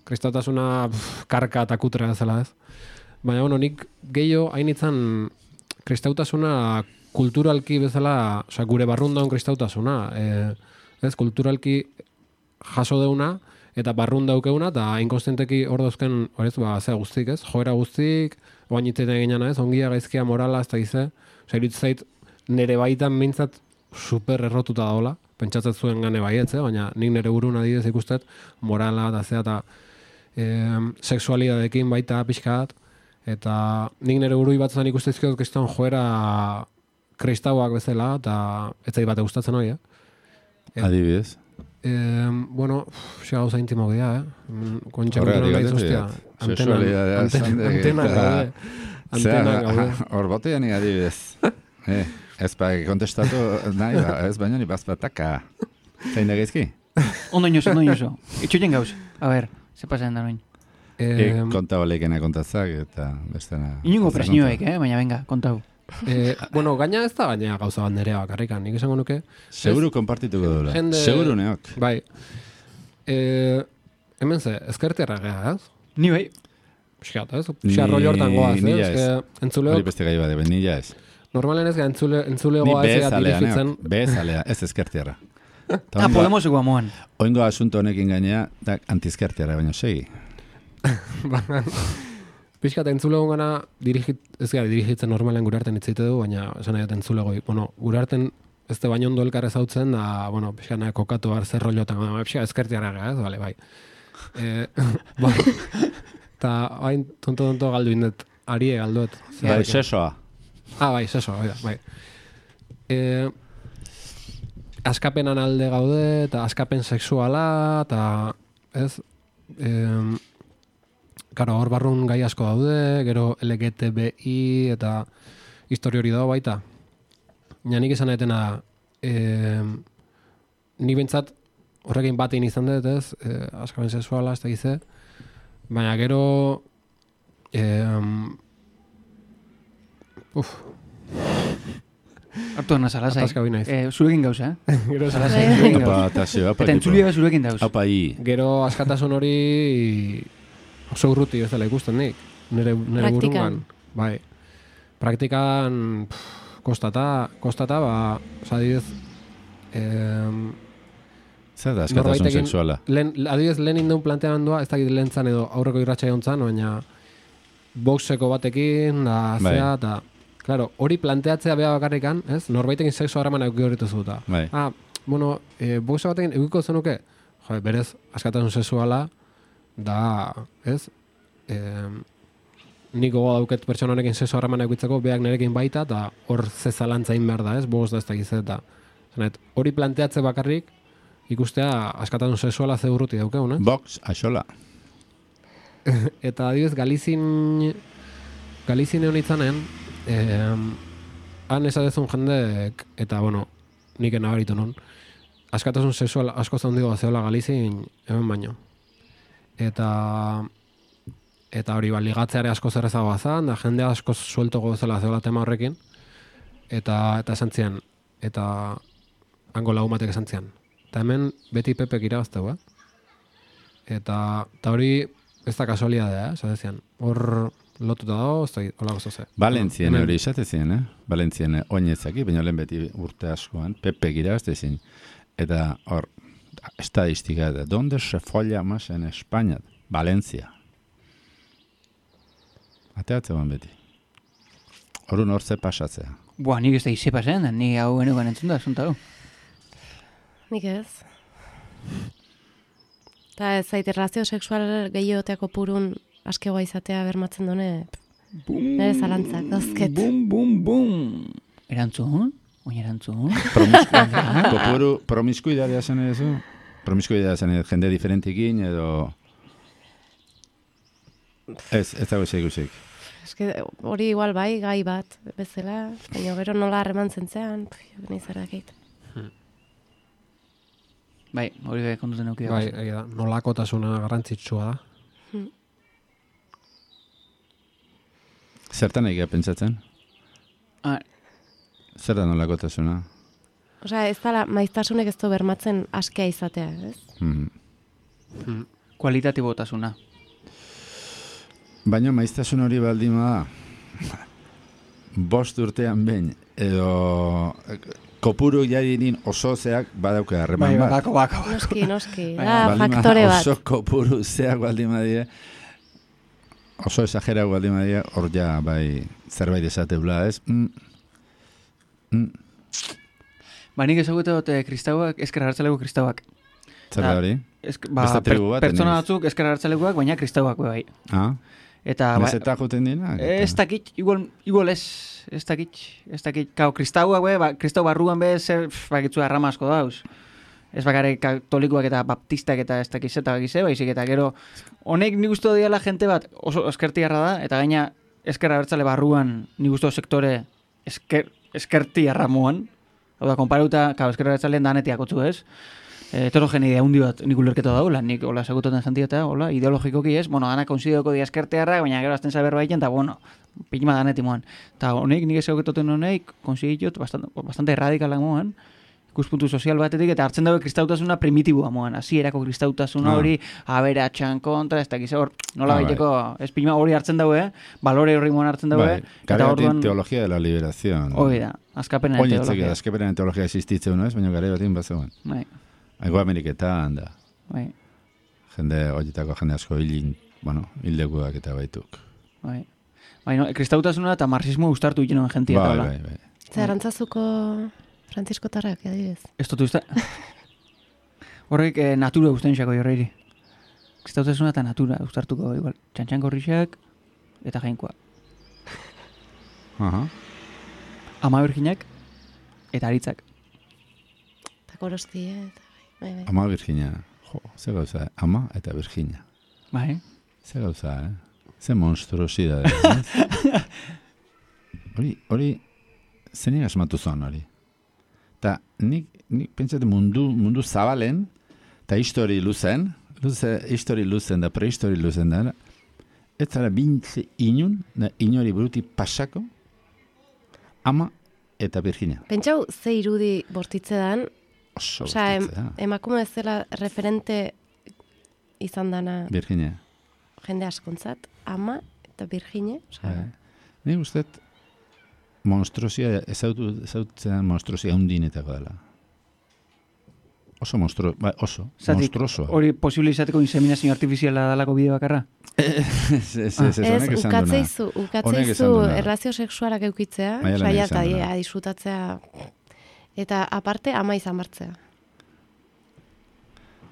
Kristautasuna karka eta kutra bezala, ez? Baina, bueno, nik gehiago hain itzan kristautasuna kulturalki bezala, osea, gure barrun daun kristautasuna, ez? Kulturalki jaso deuna, eta barrun daukeuna, eta inkonstenteki hor dauzken, horrez, zea guztik, ez? Joera guztik, oain itzeten eginana, ez? Ongia, gaizkia, morala, ez da gize, osea, irutzait, nere baitan mintzat super errotuta daola, pentsatzen zuen gane baietz, baina nik nire burun adidez ikustet, morala eta zea, eta sexualidadekin baita pixkat, eta nik nire burui batzan ikustezkiot kriston joera kristauak bezala, eta ez zait bate gustatzen hori, Adibidez? Bueno, xa gauza intimo gea, Horregatik gaten hostia, antena gaude. Hor botean adibidez. Ez kontestatu nahi, ez baina ni bazpataka. Zein da gaizki? Ondo inoso. Itxoien gauz. A ber, ze pasen da noin. Kontau leikena kontatzak eta bestena. Inungo presioek, baina venga, kontau. Bueno, gaina ez da baina gauza bat nerea bakarrikan, nik esango nuke. Seguru konpartituko dula. Seguru neok. Bai. Hemen ze, ezkertiarra gea, ez? Ni bai. Piskat, ez? Piskat roli hortan goaz, ez? Hori beste gai bade, nila ez. Normalen ez entzulegoa ez dirigitzen. Bezalea, ez ezkertiarra. Podemoseko amoan. Oingo asunto honekin gainea, da antizkertiarra, baina segi. Piskat entzulego gana dirigitzen normalen gure arten itzite du, baina esan nahi entzulego. Bueno, gure arten ez da baino ondo elkar ezautzen, da, bueno, piskat nahi kokatu bar zer rollotan, piskat ezkertiarra gara, ez, bale, bai. Eta hain tonto galdu indet, arie galduet. Bai, sesoa. Bai, sesoa, bai. Askapenan alde gaude, eta askapen sexuala, eta ez, karo, hor barrun gai asko daude, gero LGTBI, eta histori hori dago baita. Nik izan etena, ni bentsat horrekin batein izan dut, ez, askapen sexuala, ez da gize, baina gero, Artu hona salasai. Ataska binaiz. Zurekin gauza, Gero salasai. Eta entzulia zurekin dauz. Gero askatasun hori oso urruti bezala ikusten nik. Nire burungan. Bai. Praktikan kostata, adibidez, zer da askatasun sexuala? Adibidez, lehen indeun planteamendua, ez dakit lehen zan edo aurreko irratxa jontzan, baina boxeko batekin, da, zea, eta claro, hori planteatzea beha bakarrikan, ez? Norbaitekin sexu harremana euki horretu zuta. Bai. Bueno, boxa batekin eukiko zenuke, berez, askatasun sexuala, da, ez? Nik gogoa dauket pertsona honekin sexu harremana eukitzeko, beak nerekin baita, eta hor zezalantzain behar da, ez? Box da ez da gizet, eta hori planteatze bakarrik, ikustea askatasun sexuala ze urruti daukeun, eh? Box, axola. Eta adibidez, Galizin egon itzanen, han esatezun jendek, eta, bueno, nik nabaritu non, askatasun sexual asko zaundigo zeola Galizin hemen baino. Eta hori, ligatzeare asko zerrezagoa zan, da jende asko suelto gozela zeola tema horrekin. eta esan zian, eta hango lagun batek esan zian. Eta hemen beti Pepek irabazteu, Eta hori ez da kasualidadea, esan zian. Hor lotuta dago, ez da holako zoze. Valentzien hori esatezien, Valentzien oinezaki, baina lehen beti urte askoan, Pepek irabaztezin. Eta hor, estadistika da, donde se folla más en España? Valencia. Ateatzean beti. Horun hor ze pasatzea. Buah, nik ez da ize pasen, ni hau genukan entzun da, zunta hau. Nik ez. Eta ez zaite relazio sexual gehioteako purun askegoa izatea bermatzen dune, nire zalantzak, dauzket. Bum. Erantzun? Oin erantzun? Kopuru promiskuidadea zen edo? Promiskuidadea zen jende diferentikin edo... Ez dago ikusik. Eske hori igual bai, gai bat, bezala, baina gero nola harreman zentzean, nahi zerrakit. Bai, hori bai kontuten eukidea. Bai, da, nolakotasuna garrantzitsua da. Zertan egia pentsatzen? Zer da nolakotasuna? Osea, ez da maiztasunek ez du bermatzen askea izatea, ez? Kualitatibotasuna. Baina maiztasun hori baldima da, 5 urtean behin, edo kopuru jadinin oso zeak badauke harreman bat. Bako. Noski, da faktore bat. Oso kopuru zeak baldima die, oso exagerau baldima die, hor ja bai zerbait esateula, ez? Ba, nik ezagutu dut kristauak, ezker hartzaleko kristauak. Zer da hori? Beste tribu bat? Pertsona batzuk ezker hartzalekoak, baina kristauak bai. Eta meseta joten dina? Ez dakit, igual ez dakit. Kao, kristauak, kristau barruan zer, bakitzu arrama asko dauz. Ez bakare katolikoak eta baptistak eta ez dakiz eta bakize, baizik eta gero, honek nik uste diala jente bat oso eskertiarra da, eta gaina ezker abertzale barruan nik uste sektore eskertiarra muan. Hau da, konparauta, ezker abertzaleen danetiak otzu ez. Heterogenidea hundi bat nik ulerketa daula, nik hola segutaten jentia eta hola, ideologikoki ez, dana konsideoko dia eskertearra, baina gero azten zaber baiten, eta pilma daneti moan. Eta honek, nik segutaten honek, konsiditut, bastante erradikalak moan, ikuspuntu sozial batetik, eta hartzen dago kristautasuna primitibua moan, hasierako kristautasuna hori, aberatxan kontra, ez dakiz hor, nola baiteko, ez pilma hori hartzen dago, balore horri moan hartzen dago, eta orduan... teologia de la liberación. Hori da, azkapena teologia. Azkapena teologia existitzen, ez? Baina gare batin bat zegoen. Ego Ameriketan, da. Bai. Jende, horietako jende asko hildekuak eta baituk. Bai. Baina, kristautasuna eta marxismo ustartu ikenoen jentia. Bai. Zer, arantzazuko Francisco Tarrak, adibidez. Ez dut usta. Horrek natura usten xako jorreiri. Kristautasuna eta natura ustartuko, igual. Txantxan gorrixak eta jainkoa. Ama Virginak eta aritzak. Eta korosti, eta... Ama Virginia, ze gauza, ama eta Virginia. Bai. Ze gauza, ze monstruosidade. Hori, zenik asmatu zon hori. Eta nik pentsatu mundu zabalen, eta histori luzen da, prehistori luzen da, ez zara bintze inun, inori buruti pasako, ama eta Virginia. Pentsau, ze irudi bortitze dan, Osea, emakume ez dela referente izan dana Virginia. Jende askontzat, ama eta Virginia. Nik uste monstruosia, ezautzen monstruosia hundinetako dela. Oso monstruoso. Hori posible izateko inseminazio artifiziala dalako bide bakarra? Ez, ukatzeizu erlazio sexualak eukitzea, saia eta disfrutatzea, eta aparte ama izan martzea.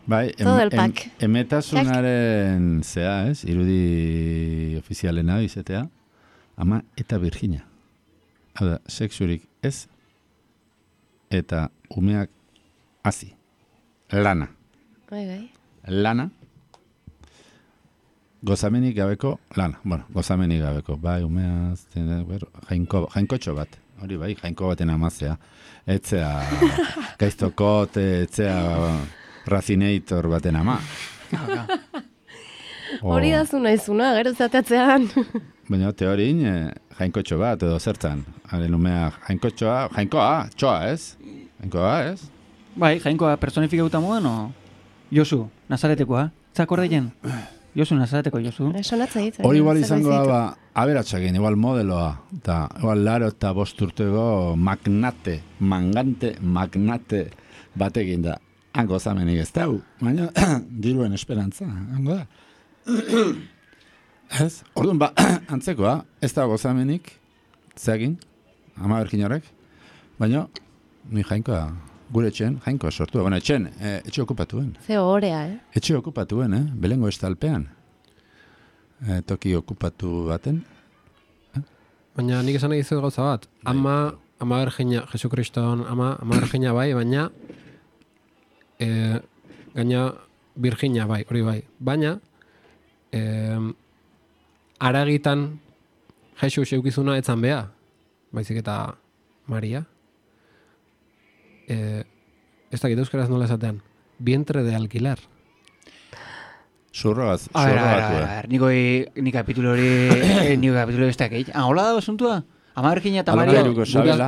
Bai, emetasunaren zea, ez? Irudi ofizialena izatea, ama eta Virginia. Hau da, sexurik ez, eta umeak hazi. Lana. Lana. Gozamenik gabeko lana. Bueno, gozamenik gabeko. Bai, umeaz, jainkotxo bat. Hori bai, jainko baten amazea. Etzea gaiztokot, etzea racinator baten ama. Hori da zu naizuna, gero zateatzean. Baina teorin, jainkotxo bat edo zertan. Haren umea jainkoa, txoa ez? Jainkoa ez? Bai, jainkoa personifikauta modan, o? Josu, Nazaretekoa. Zakordeien? Josu, Nazareteko Josu. Sonatza hitz. Hori igual izango da, aberatxakin, igual modeloa. Eta igual laro eta bosturtego magnate batekin da. Hango zamenik ez dau, baina diruen esperantza, hango da. Ez? Orduan antzekoa, ez da gozamenik, zeagin, ama berkinorek, baina ni jainkoa, gure etxen, jainkoa sortua. Bueno, etxe okupatuen. Ze horea, Etxe okupatuen, Belengo estalpean. Toki okupatu baten. Baina nik esan egizu gauza bat. Ama bergina, Jesu Kriston ama bergina bai, baina gaina Virginia bai, hori bai. Baina aragitan Jesus eukizuna etzan bea, baizik eta Maria. Ez dakit euskaraz nola esatean. Vientre de alquiler. Zurrogatu. A ver, ni kapitulo hori, ni kapitulo besteak egin. Hola da basuntua? Ama Virginia eta Maria.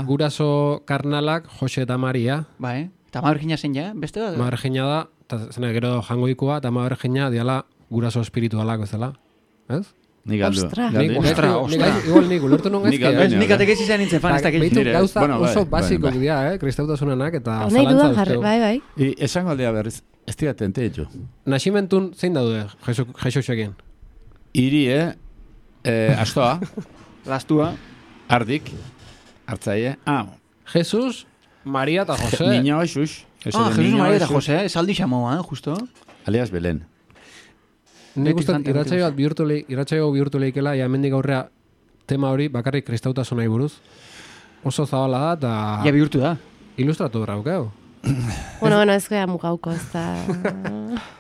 Guraso karnalak, Jose eta Maria. Bai, eta Ama Virginia zein ja, beste bat? Ama Virginia da, eta zene gero jangoikoa, eta Ama Virginia diala guraso espiritualak bezala. Ez? Nik galdu. Ostra. Igual nik ulertu non gaizki. Nik atek izan nintzen fan, ez dakit. Beitu gauza oso basikoak dira, kristautasunanak, eta zalantza duzteu. Bai. Esango aldea berriz, ez dira tente ditu. Naximentun zein daude, Jesusekin? Iri, astoa. Lastua. Ardik. Hartzaie. Jesus, Maria eta Jose. Niño Jesus. Jesus, Maria eta Jose, esaldi xamoa, justo. Alias Belen. Nik uste irratsaio bihurtu lehikela, hemendik aurrea tema hori bakarrik kristautasunai buruz. Oso zabala da, eta... Ja bihurtu da. Ilustratu braukeu. Bueno, ez gara mugauko, ez da...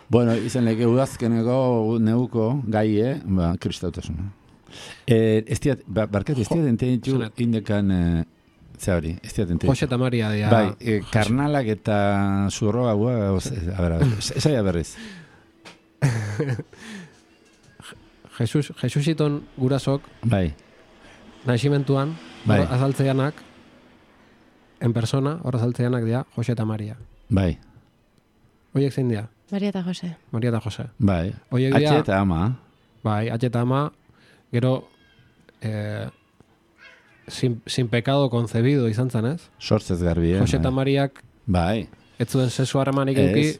Bueno, izan leke udazkeneko neuko gaie, kristautasuna. Barkatu, ez diat entenditu indekan... Ze hori, ez diat entenditu. Jose eta Maria dia... Bai, karnalak eta zurroa gua... A ver, esaia berriz. Jesusiton gurasok bai. Naximentuan bai. Azaltzeanak en persona, hor azaltzeanak dira Jose eta Maria. Bai. Oiek zein dira? Maria eta Jose. Bai. Atxe eta ama. Bai, atxe eta ama, gero sin pecado concebido izan zen, ez? Sortzez garbi, Jose eta Mariak bai. Ez zuen sexu harremanik eduki,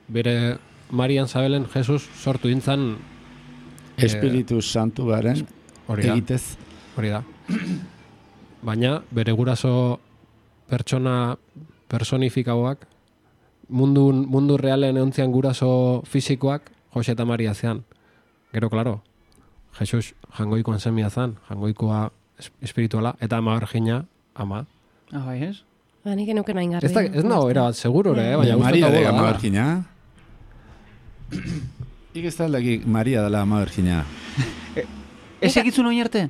bere Marian Zabelen Jesus sortu intzan Espiritu Santu garen egitez. Hori da. Baina bere guraso pertsona personifikauak mundu realen eontzian guraso fisikoak Jose eta Maria zean. Gero, klaro, Jesus jangoikoan semia zan, jangoikoa espirituala, eta ama Virginia, ama. Bai, ez? Nik enuken hain garri. Ez nago, era seguro, baina Maria de ama Virginia. Ik ez taldaki Maria dela ama Virginia. Ez egitzun oin arte?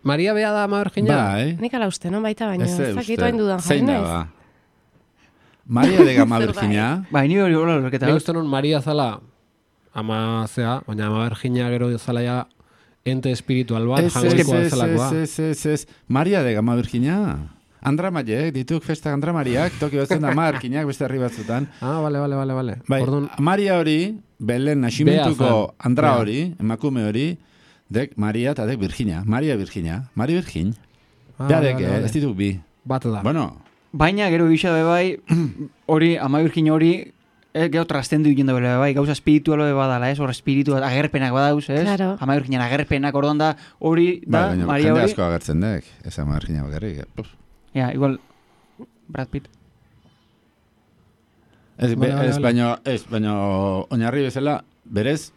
Maria bea da ama Virginia? Bai. Nik ala uste, non baita baina. Ez dakitu hain dudan jarri naiz. Zein da, Maria de ama Virginia? Bai, ni hori hola lorketa. Ni uste non Maria zala ama zea, baina ama Virginia gero zala ja ente espiritual bat, jangoikoa zelakoa. Ez. Maria de ama Virginia? Andra Mariek, dituk festa Andra Mariak, toki batzen da ama Virginiak beste herri batzutan. Vale. Bai, Maria hori, Belen naximentuko Andra hori, emakume hori, dek Maria eta dek Virginia. Maria Virginia. Beadek, ez dituk bi. Bat da. Bueno. Baina, gero gisa bai, hori, ama Virginia hori, gero trastendu egin da bai, gauza espiritualo badala, ez? Hor espiritu agerpenak badauz, ez? Claro. Ama Virginia agerpenak ordon da, hori da, Maria hori. Jende asko agertzen dek, ez ama Virginia bakarrik. Ja, igual, Brad Pitt. Ez, baina oinarri bezala, berez,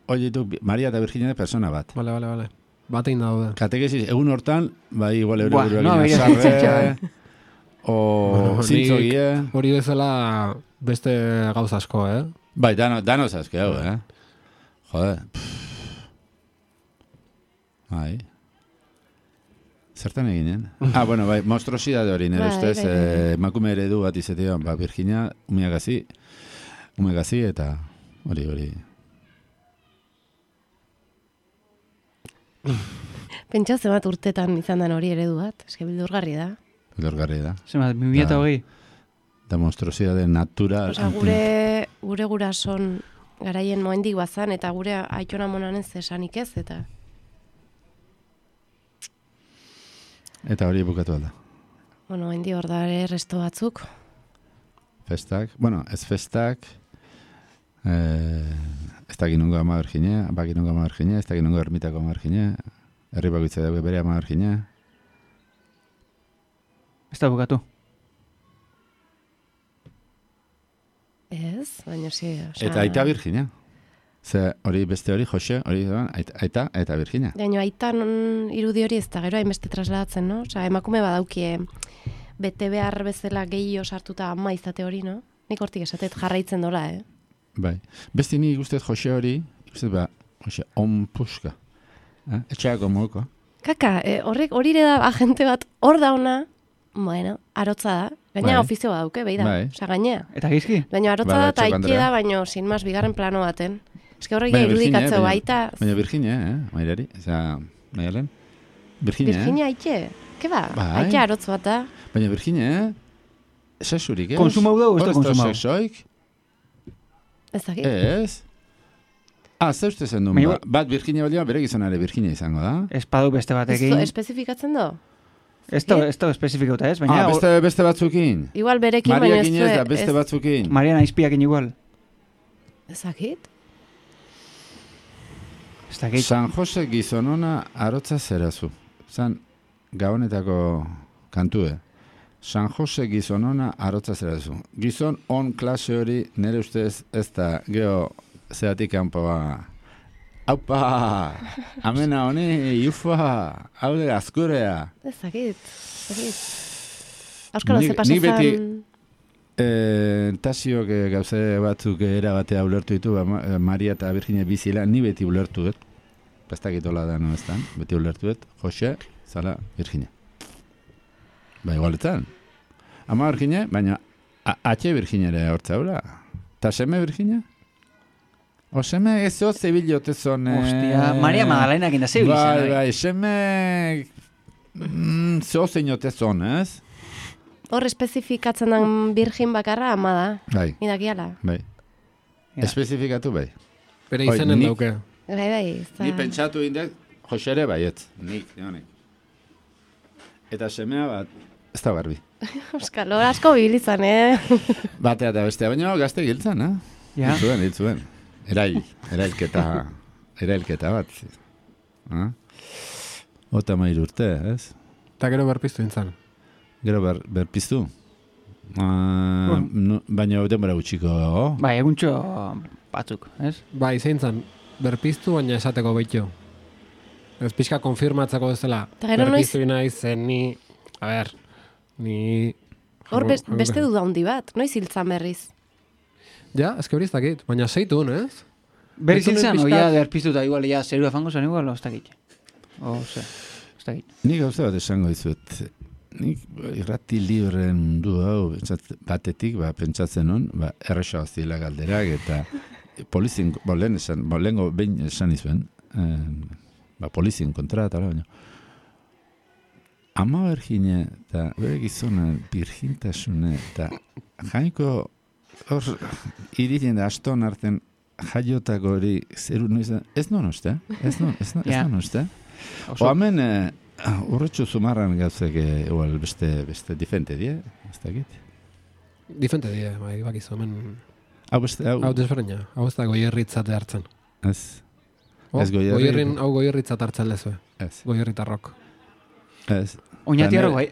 hori ditu Maria eta Virginia persona bat. Vale. Batein daude. Katekesis, egun hortan, bai, igual buruak sarre, o zintzogie. Hori bezala beste gauza asko, Bai, danoz asko, Jode. Bai. Zertan eginen? Bueno, bai, monstruosidade hori, nire ustez, emakume eredu bat izatea, Virginia, umeagazi, eta hori. Pentsa zemat urtetan izan den hori eredu bat, eske bildurgarri da. Lorgarri da. Zemat, 2020. Da monstruosidade natural. Osa, gure gurason garaien moendik bazan, eta gure aitona monanen zesanik ez, eta... Eta hori bukatu alda. Bueno, hendi hor da ere resto batzuk. Festak, bueno, ez festak, ez da ginungo ama berginea, baginungo ama berginea, ez da ginungo ermitako ama berginea, herri bakoitza dago bere ama berginea. Ez da bukatu. Ez, baina sí, osa... Eta aita Virginia. Ze hori beste hori, Jose, hori da, aita eta Virginia. Baina aitan irudi hori ez da, gero hainbeste trasladatzen, no? Osa, emakume badaukie bete behar bezala gehiago sartuta ama izate hori, no? Nik hortik esatet jarraitzen dola, Bai. Beste ni guztet Jose hori, guztet ba, Jose, onpuska. Etxeako moko. Kaka, hori ere da agente bat hor dauna, bueno, arotza da. Gaina Bai. ofizio badauke, behi da. Bai. Osa, gainea. Eta gizki? Baina arotza Bai, da eta etxeko aike Andrea. da, baina sin mas bigarren plano baten. Ez que horrek Baina Virginia, irudikatzeu baina- baita... Baina Virginia, mairari, eza, maialen? Virginia, Virginia aike? Ke ba? Bai. Aike arotz bat da. Baina Virginia, sexurik, ez? Konsumau dugu, ez da Hor konsumau. sexoik? Ez dakit. Ez? Ze uste zen duen, Baina- bat Virginia balioa bere gizonare Virginia izango da? Espadu beste batekin. Espezifikatzen do? Ez da espezifikauta ez, baina... Beste batzukin? Igual berekin, baina ez Mariakin ez da, beste batzukin. Mariana Izpiakin igual. Ez dakit? Ez dakit. San Jose gizonona arotza zerazu. Zan, gabonetako kantue. San Jose gizonona arotza zerazu. Gizon on klase hori nire ustez ez da, geho, zeatik kanpoa. Aupa! Amena honi, iufa! Haude azkurea! Ez dakit. Euskalo, Nik- ze pasa nik beti- zan... Tasiok gauze batzuk era batea ulertu ditu, Maria eta Virginia bizila, ni beti ulertu dut. Pastakitola da no estan, beti ulertu dut. Jose, zala, Virginia. Ba, igualetan. Ama Virginia, baina atxe Virginia ere hortzaura. Ta seme Virginia? O seme ezo zebilote zone... Ostia, Maria Magdalenak inda zeu izan. Bai, seme... Zeo zeinote zon, ez? Hor espezifikatzen den virgin bakarra ama da. Bai, Idakiala. bai. Ja. Espezifikatu bai. Bere Oi, izanen nik- dauke. Bai, ez da... Ni pentsatu indek, Jose ere baietz. Nik, honek. Eta semea bat, ez da garbi. Euskalo, asko bibilizan, Batea eta bestea, baina gazte giltzen, Ja. Hil zuen. Erailketa bat. Ota mair urte, ez? Eta gero berpiztu intzan. Gero berpiztu. Baina denbora gutxiko. Bai, eguntxo batzuk, ez? Bai, zein zan, berpiztu baina esateko behitxo. Ez pixka konfirmatzeko bezala. Eta gero noiz- Berpiztu naiz zen ni... A ber, ni... Hor beste duda handi bat, noiz hiltzan berriz. Ja, eske hori ez dakit, baina seitun, ez? Berriz Ez honen hiltzan, pixkat- oia derpiztuta igual, ja, zerua fango zen igual, ez dakit. Ez dakit. Nik gauza bat esango dizuet. Nik irrati libren mundu hau batetik pentsatzen hon, erresa zila galderak eta polizien, lehengo behin esan izuen, polizien kontra eta baina. Ama Virginia eta bere gizona virgintasune eta jainko hor iritzen da aston arten jaiotako hori zeru noiz da, ez non uste, ez non uste. O hemen urretxu zumarran gauzek igual beste difente die, ez dakit. Difente die, bai, bakizu, hemen... Hau beste, Hau desberdina, hau ez da goierritzate hartzen. Ez. Ez goierri. Hau goierritzat hartzen lezue, Ez. goierritarrok. Ez. Oñatiarro bai.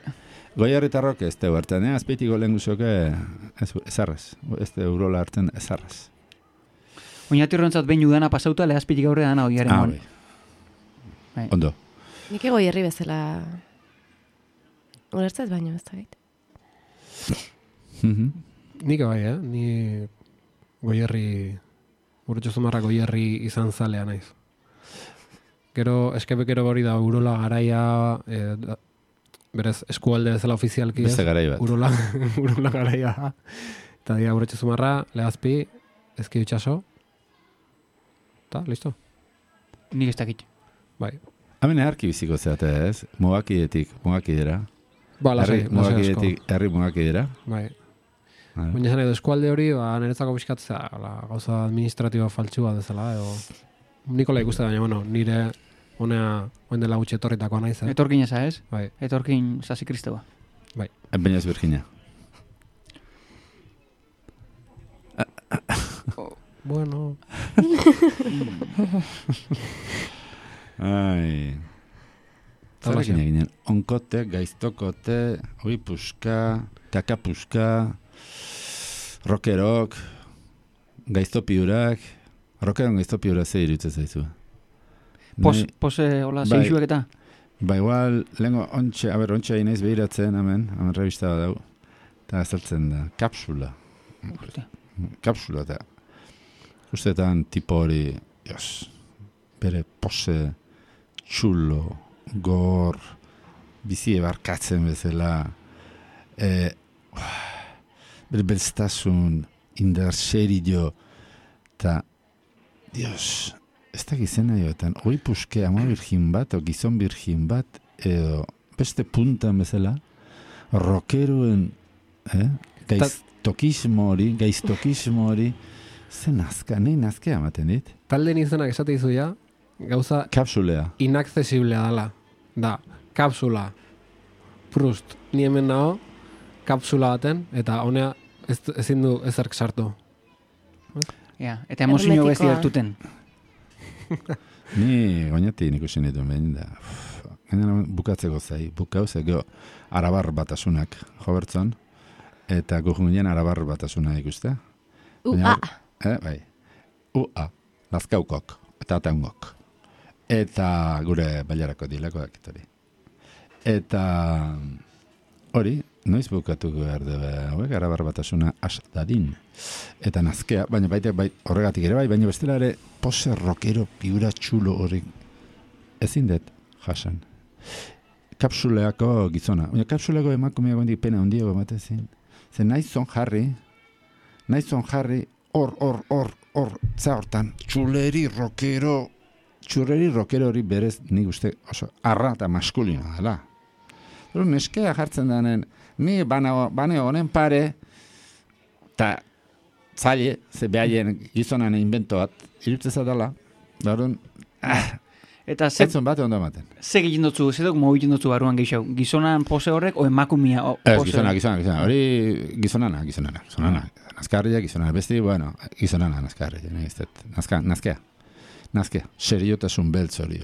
Goierritarrok ez teu hartzen, azpeitiko lehen guzoke ezarraz. Ez te urola hartzen ezarraz. Oñatiarro entzat behin udana pasauta, lehazpitik aurre dana oiaren Ah, mon. bai. Ondo. Nik ego hierri bezala... Ulertzez baino, ez dakit. Nik bai, ni goierri... Urretxo zumarra goierri izan zalea naiz. Gero, eskebekero hori da urola garaia... berez, eskualde bezala ofizialki ez. Beste garai bat. Urola garaia. Eta dira urretxo zumarra, lehazpi, ezki itxaso. Eta, listo. Nik ez dakit. Bai. Hemen eharki biziko zeate, ez? Mugakidera. Ba, lasai, lasai asko. Mugakidetik herri mugakidera. Bai. Baina esan edo eskualde hori, niretzako pixkatzea, gauza administratiboa faltsua dezala, edo... Nikola ikuste baina, bueno, nire honea, oen dela gutxi etorritakoa naiz, Etorkin eza, ez? Bai. Etorkin sasi kristoa. Bai. Baina ez Virginia. Bueno... Ai... Zerrekin eginen, onkote, gaiztokote, oi puska, kakapuska, rokerok, gaiztopiurak, rokeron gaiztopiurak ze iruditzen zaizu. Pose, hola, zeixuek eta? Ba, igual, lehenko, ontsa inaiz behiratzen, hemen revista bat dago, eta azaltzen da, kapsula. Kapsula, eta ustetan tipo hori, bere pose txulo, gor, bizi ebarkatzen bezala, bere belztasun, indar xerillo, eta, Dios, ez da gizena joetan, hoi puske ama virgin bat, o gizon virgin bat, edo beste puntan bezala, rockeroen, gaiztokismo hori, zen nazka, nahi nazkea ematen dit. Talden izenak esate izu ja, gauza kapsulea. Inaccesiblea dela. Da, kapsula. Prust, ni hemen nago, kapsula baten, eta honea ezin du ezerk sartu. Ja, eta emozio besti hartuten. Ni goñatik ikusi nituen behin da. Gainera bukatzeko zai, bukauzeko arabar batasunak jobertzon, eta gujunien arabar batasuna ikuste. Ua. Bai. Ua, lazkaukok, eta ataungok. Eta gure bailarako dilako dakitori. Eta hori, noiz bukatuko behar dube, hauek arabar batasuna as dadin. Eta nazkea, baina horregatik ere baina bestela ere pose rockero piura txulo hori ezin dut jasan. Kapsuleako gizona. Baina kapsuleako emakumeak hondik pena hondiago ematezin. Zer naizon jarri, hor, hortan, txuleri rockero hori berez nik uste oso arra eta maskulina dela. Pero neskea jartzen denen, ni bane honen pare, eta zaile, ze behaien gizonan invento bat, irutzeza dela, barun, Eta etzon bate ondo ematen. Ze egiten dutzu, ze duk mobitzen dutzu baruan gehiago? Gizonan pose horrek, o emakumia pose? Gizona. Hori gizonana. Nazkarria, gizonana. Besti, bueno, gizonana nazkarria. Nazkea. Seriotasun beltz hori.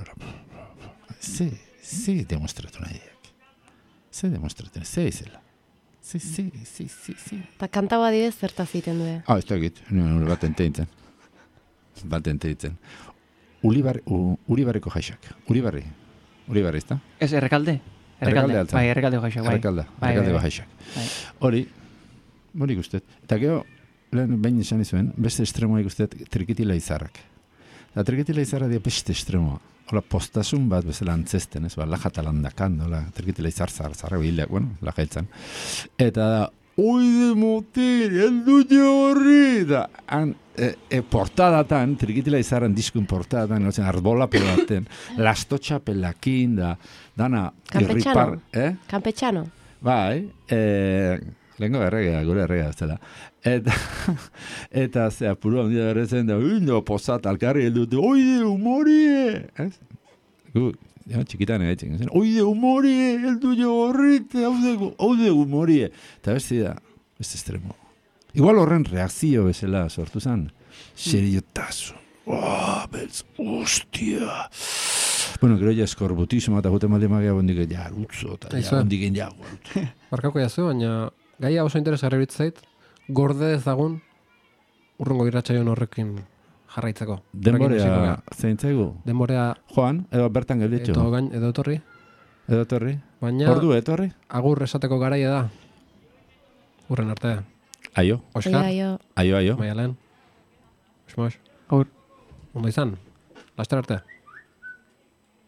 Ze demostratu nahiak. Ze izela. Sí. Eta kanta badidez zertaz egiten du. Ez da egit. Baten teitzen. Uribarriko jaixak. Uribarri, ez da? Ez, errekalde? Bai, errekaldeko jaixak. Errekaldeko jaixak. Hori ikustet. Eta gero, behin esan izuen, beste estremoa ikustet trikitila izarrak. Eta trikitila izarra dia beste estremoa. Hola, postasun bat bezala antzesten, ez? Lajata landakan, trikitila izar zarra hilak, bueno, laja hiltzan. Eta da, oide motel, heldu horri! Da, portadatan, trikitila izarren diskun portadatan, arbola pelaten, lastotxa pelakin, dana irripar... Campechano. Bai, lehenko gure erregea zela. Eta zea, puru handia berrezen da, posat, alkarri heldu, oide humorie! Txikitan egin, oide humorie, heldu horrite, haude humorie! Eta beste da, beste estremo. Igual horren reakzio bezala sortu zen. Seriotasun. Beltz, hostia. Bueno, gero ja eskorbutismo eta gute malde magia bondik jarutzo eta bondik jago. Barkako jazu, baina gaia oso interesgarri bitzait, gorde ezagun urrungo irratsaioan horrekin jarraitzeko. Denborea zeintzaigu? Denborea joan, edo bertan gelditxo. Edo etorri. Baina ordu etorri? Agur esateko garaia da. Urren artea. Aio. Oskar. Aio. Maialen. Osmos. Agur. Ondo izan. Laster arte.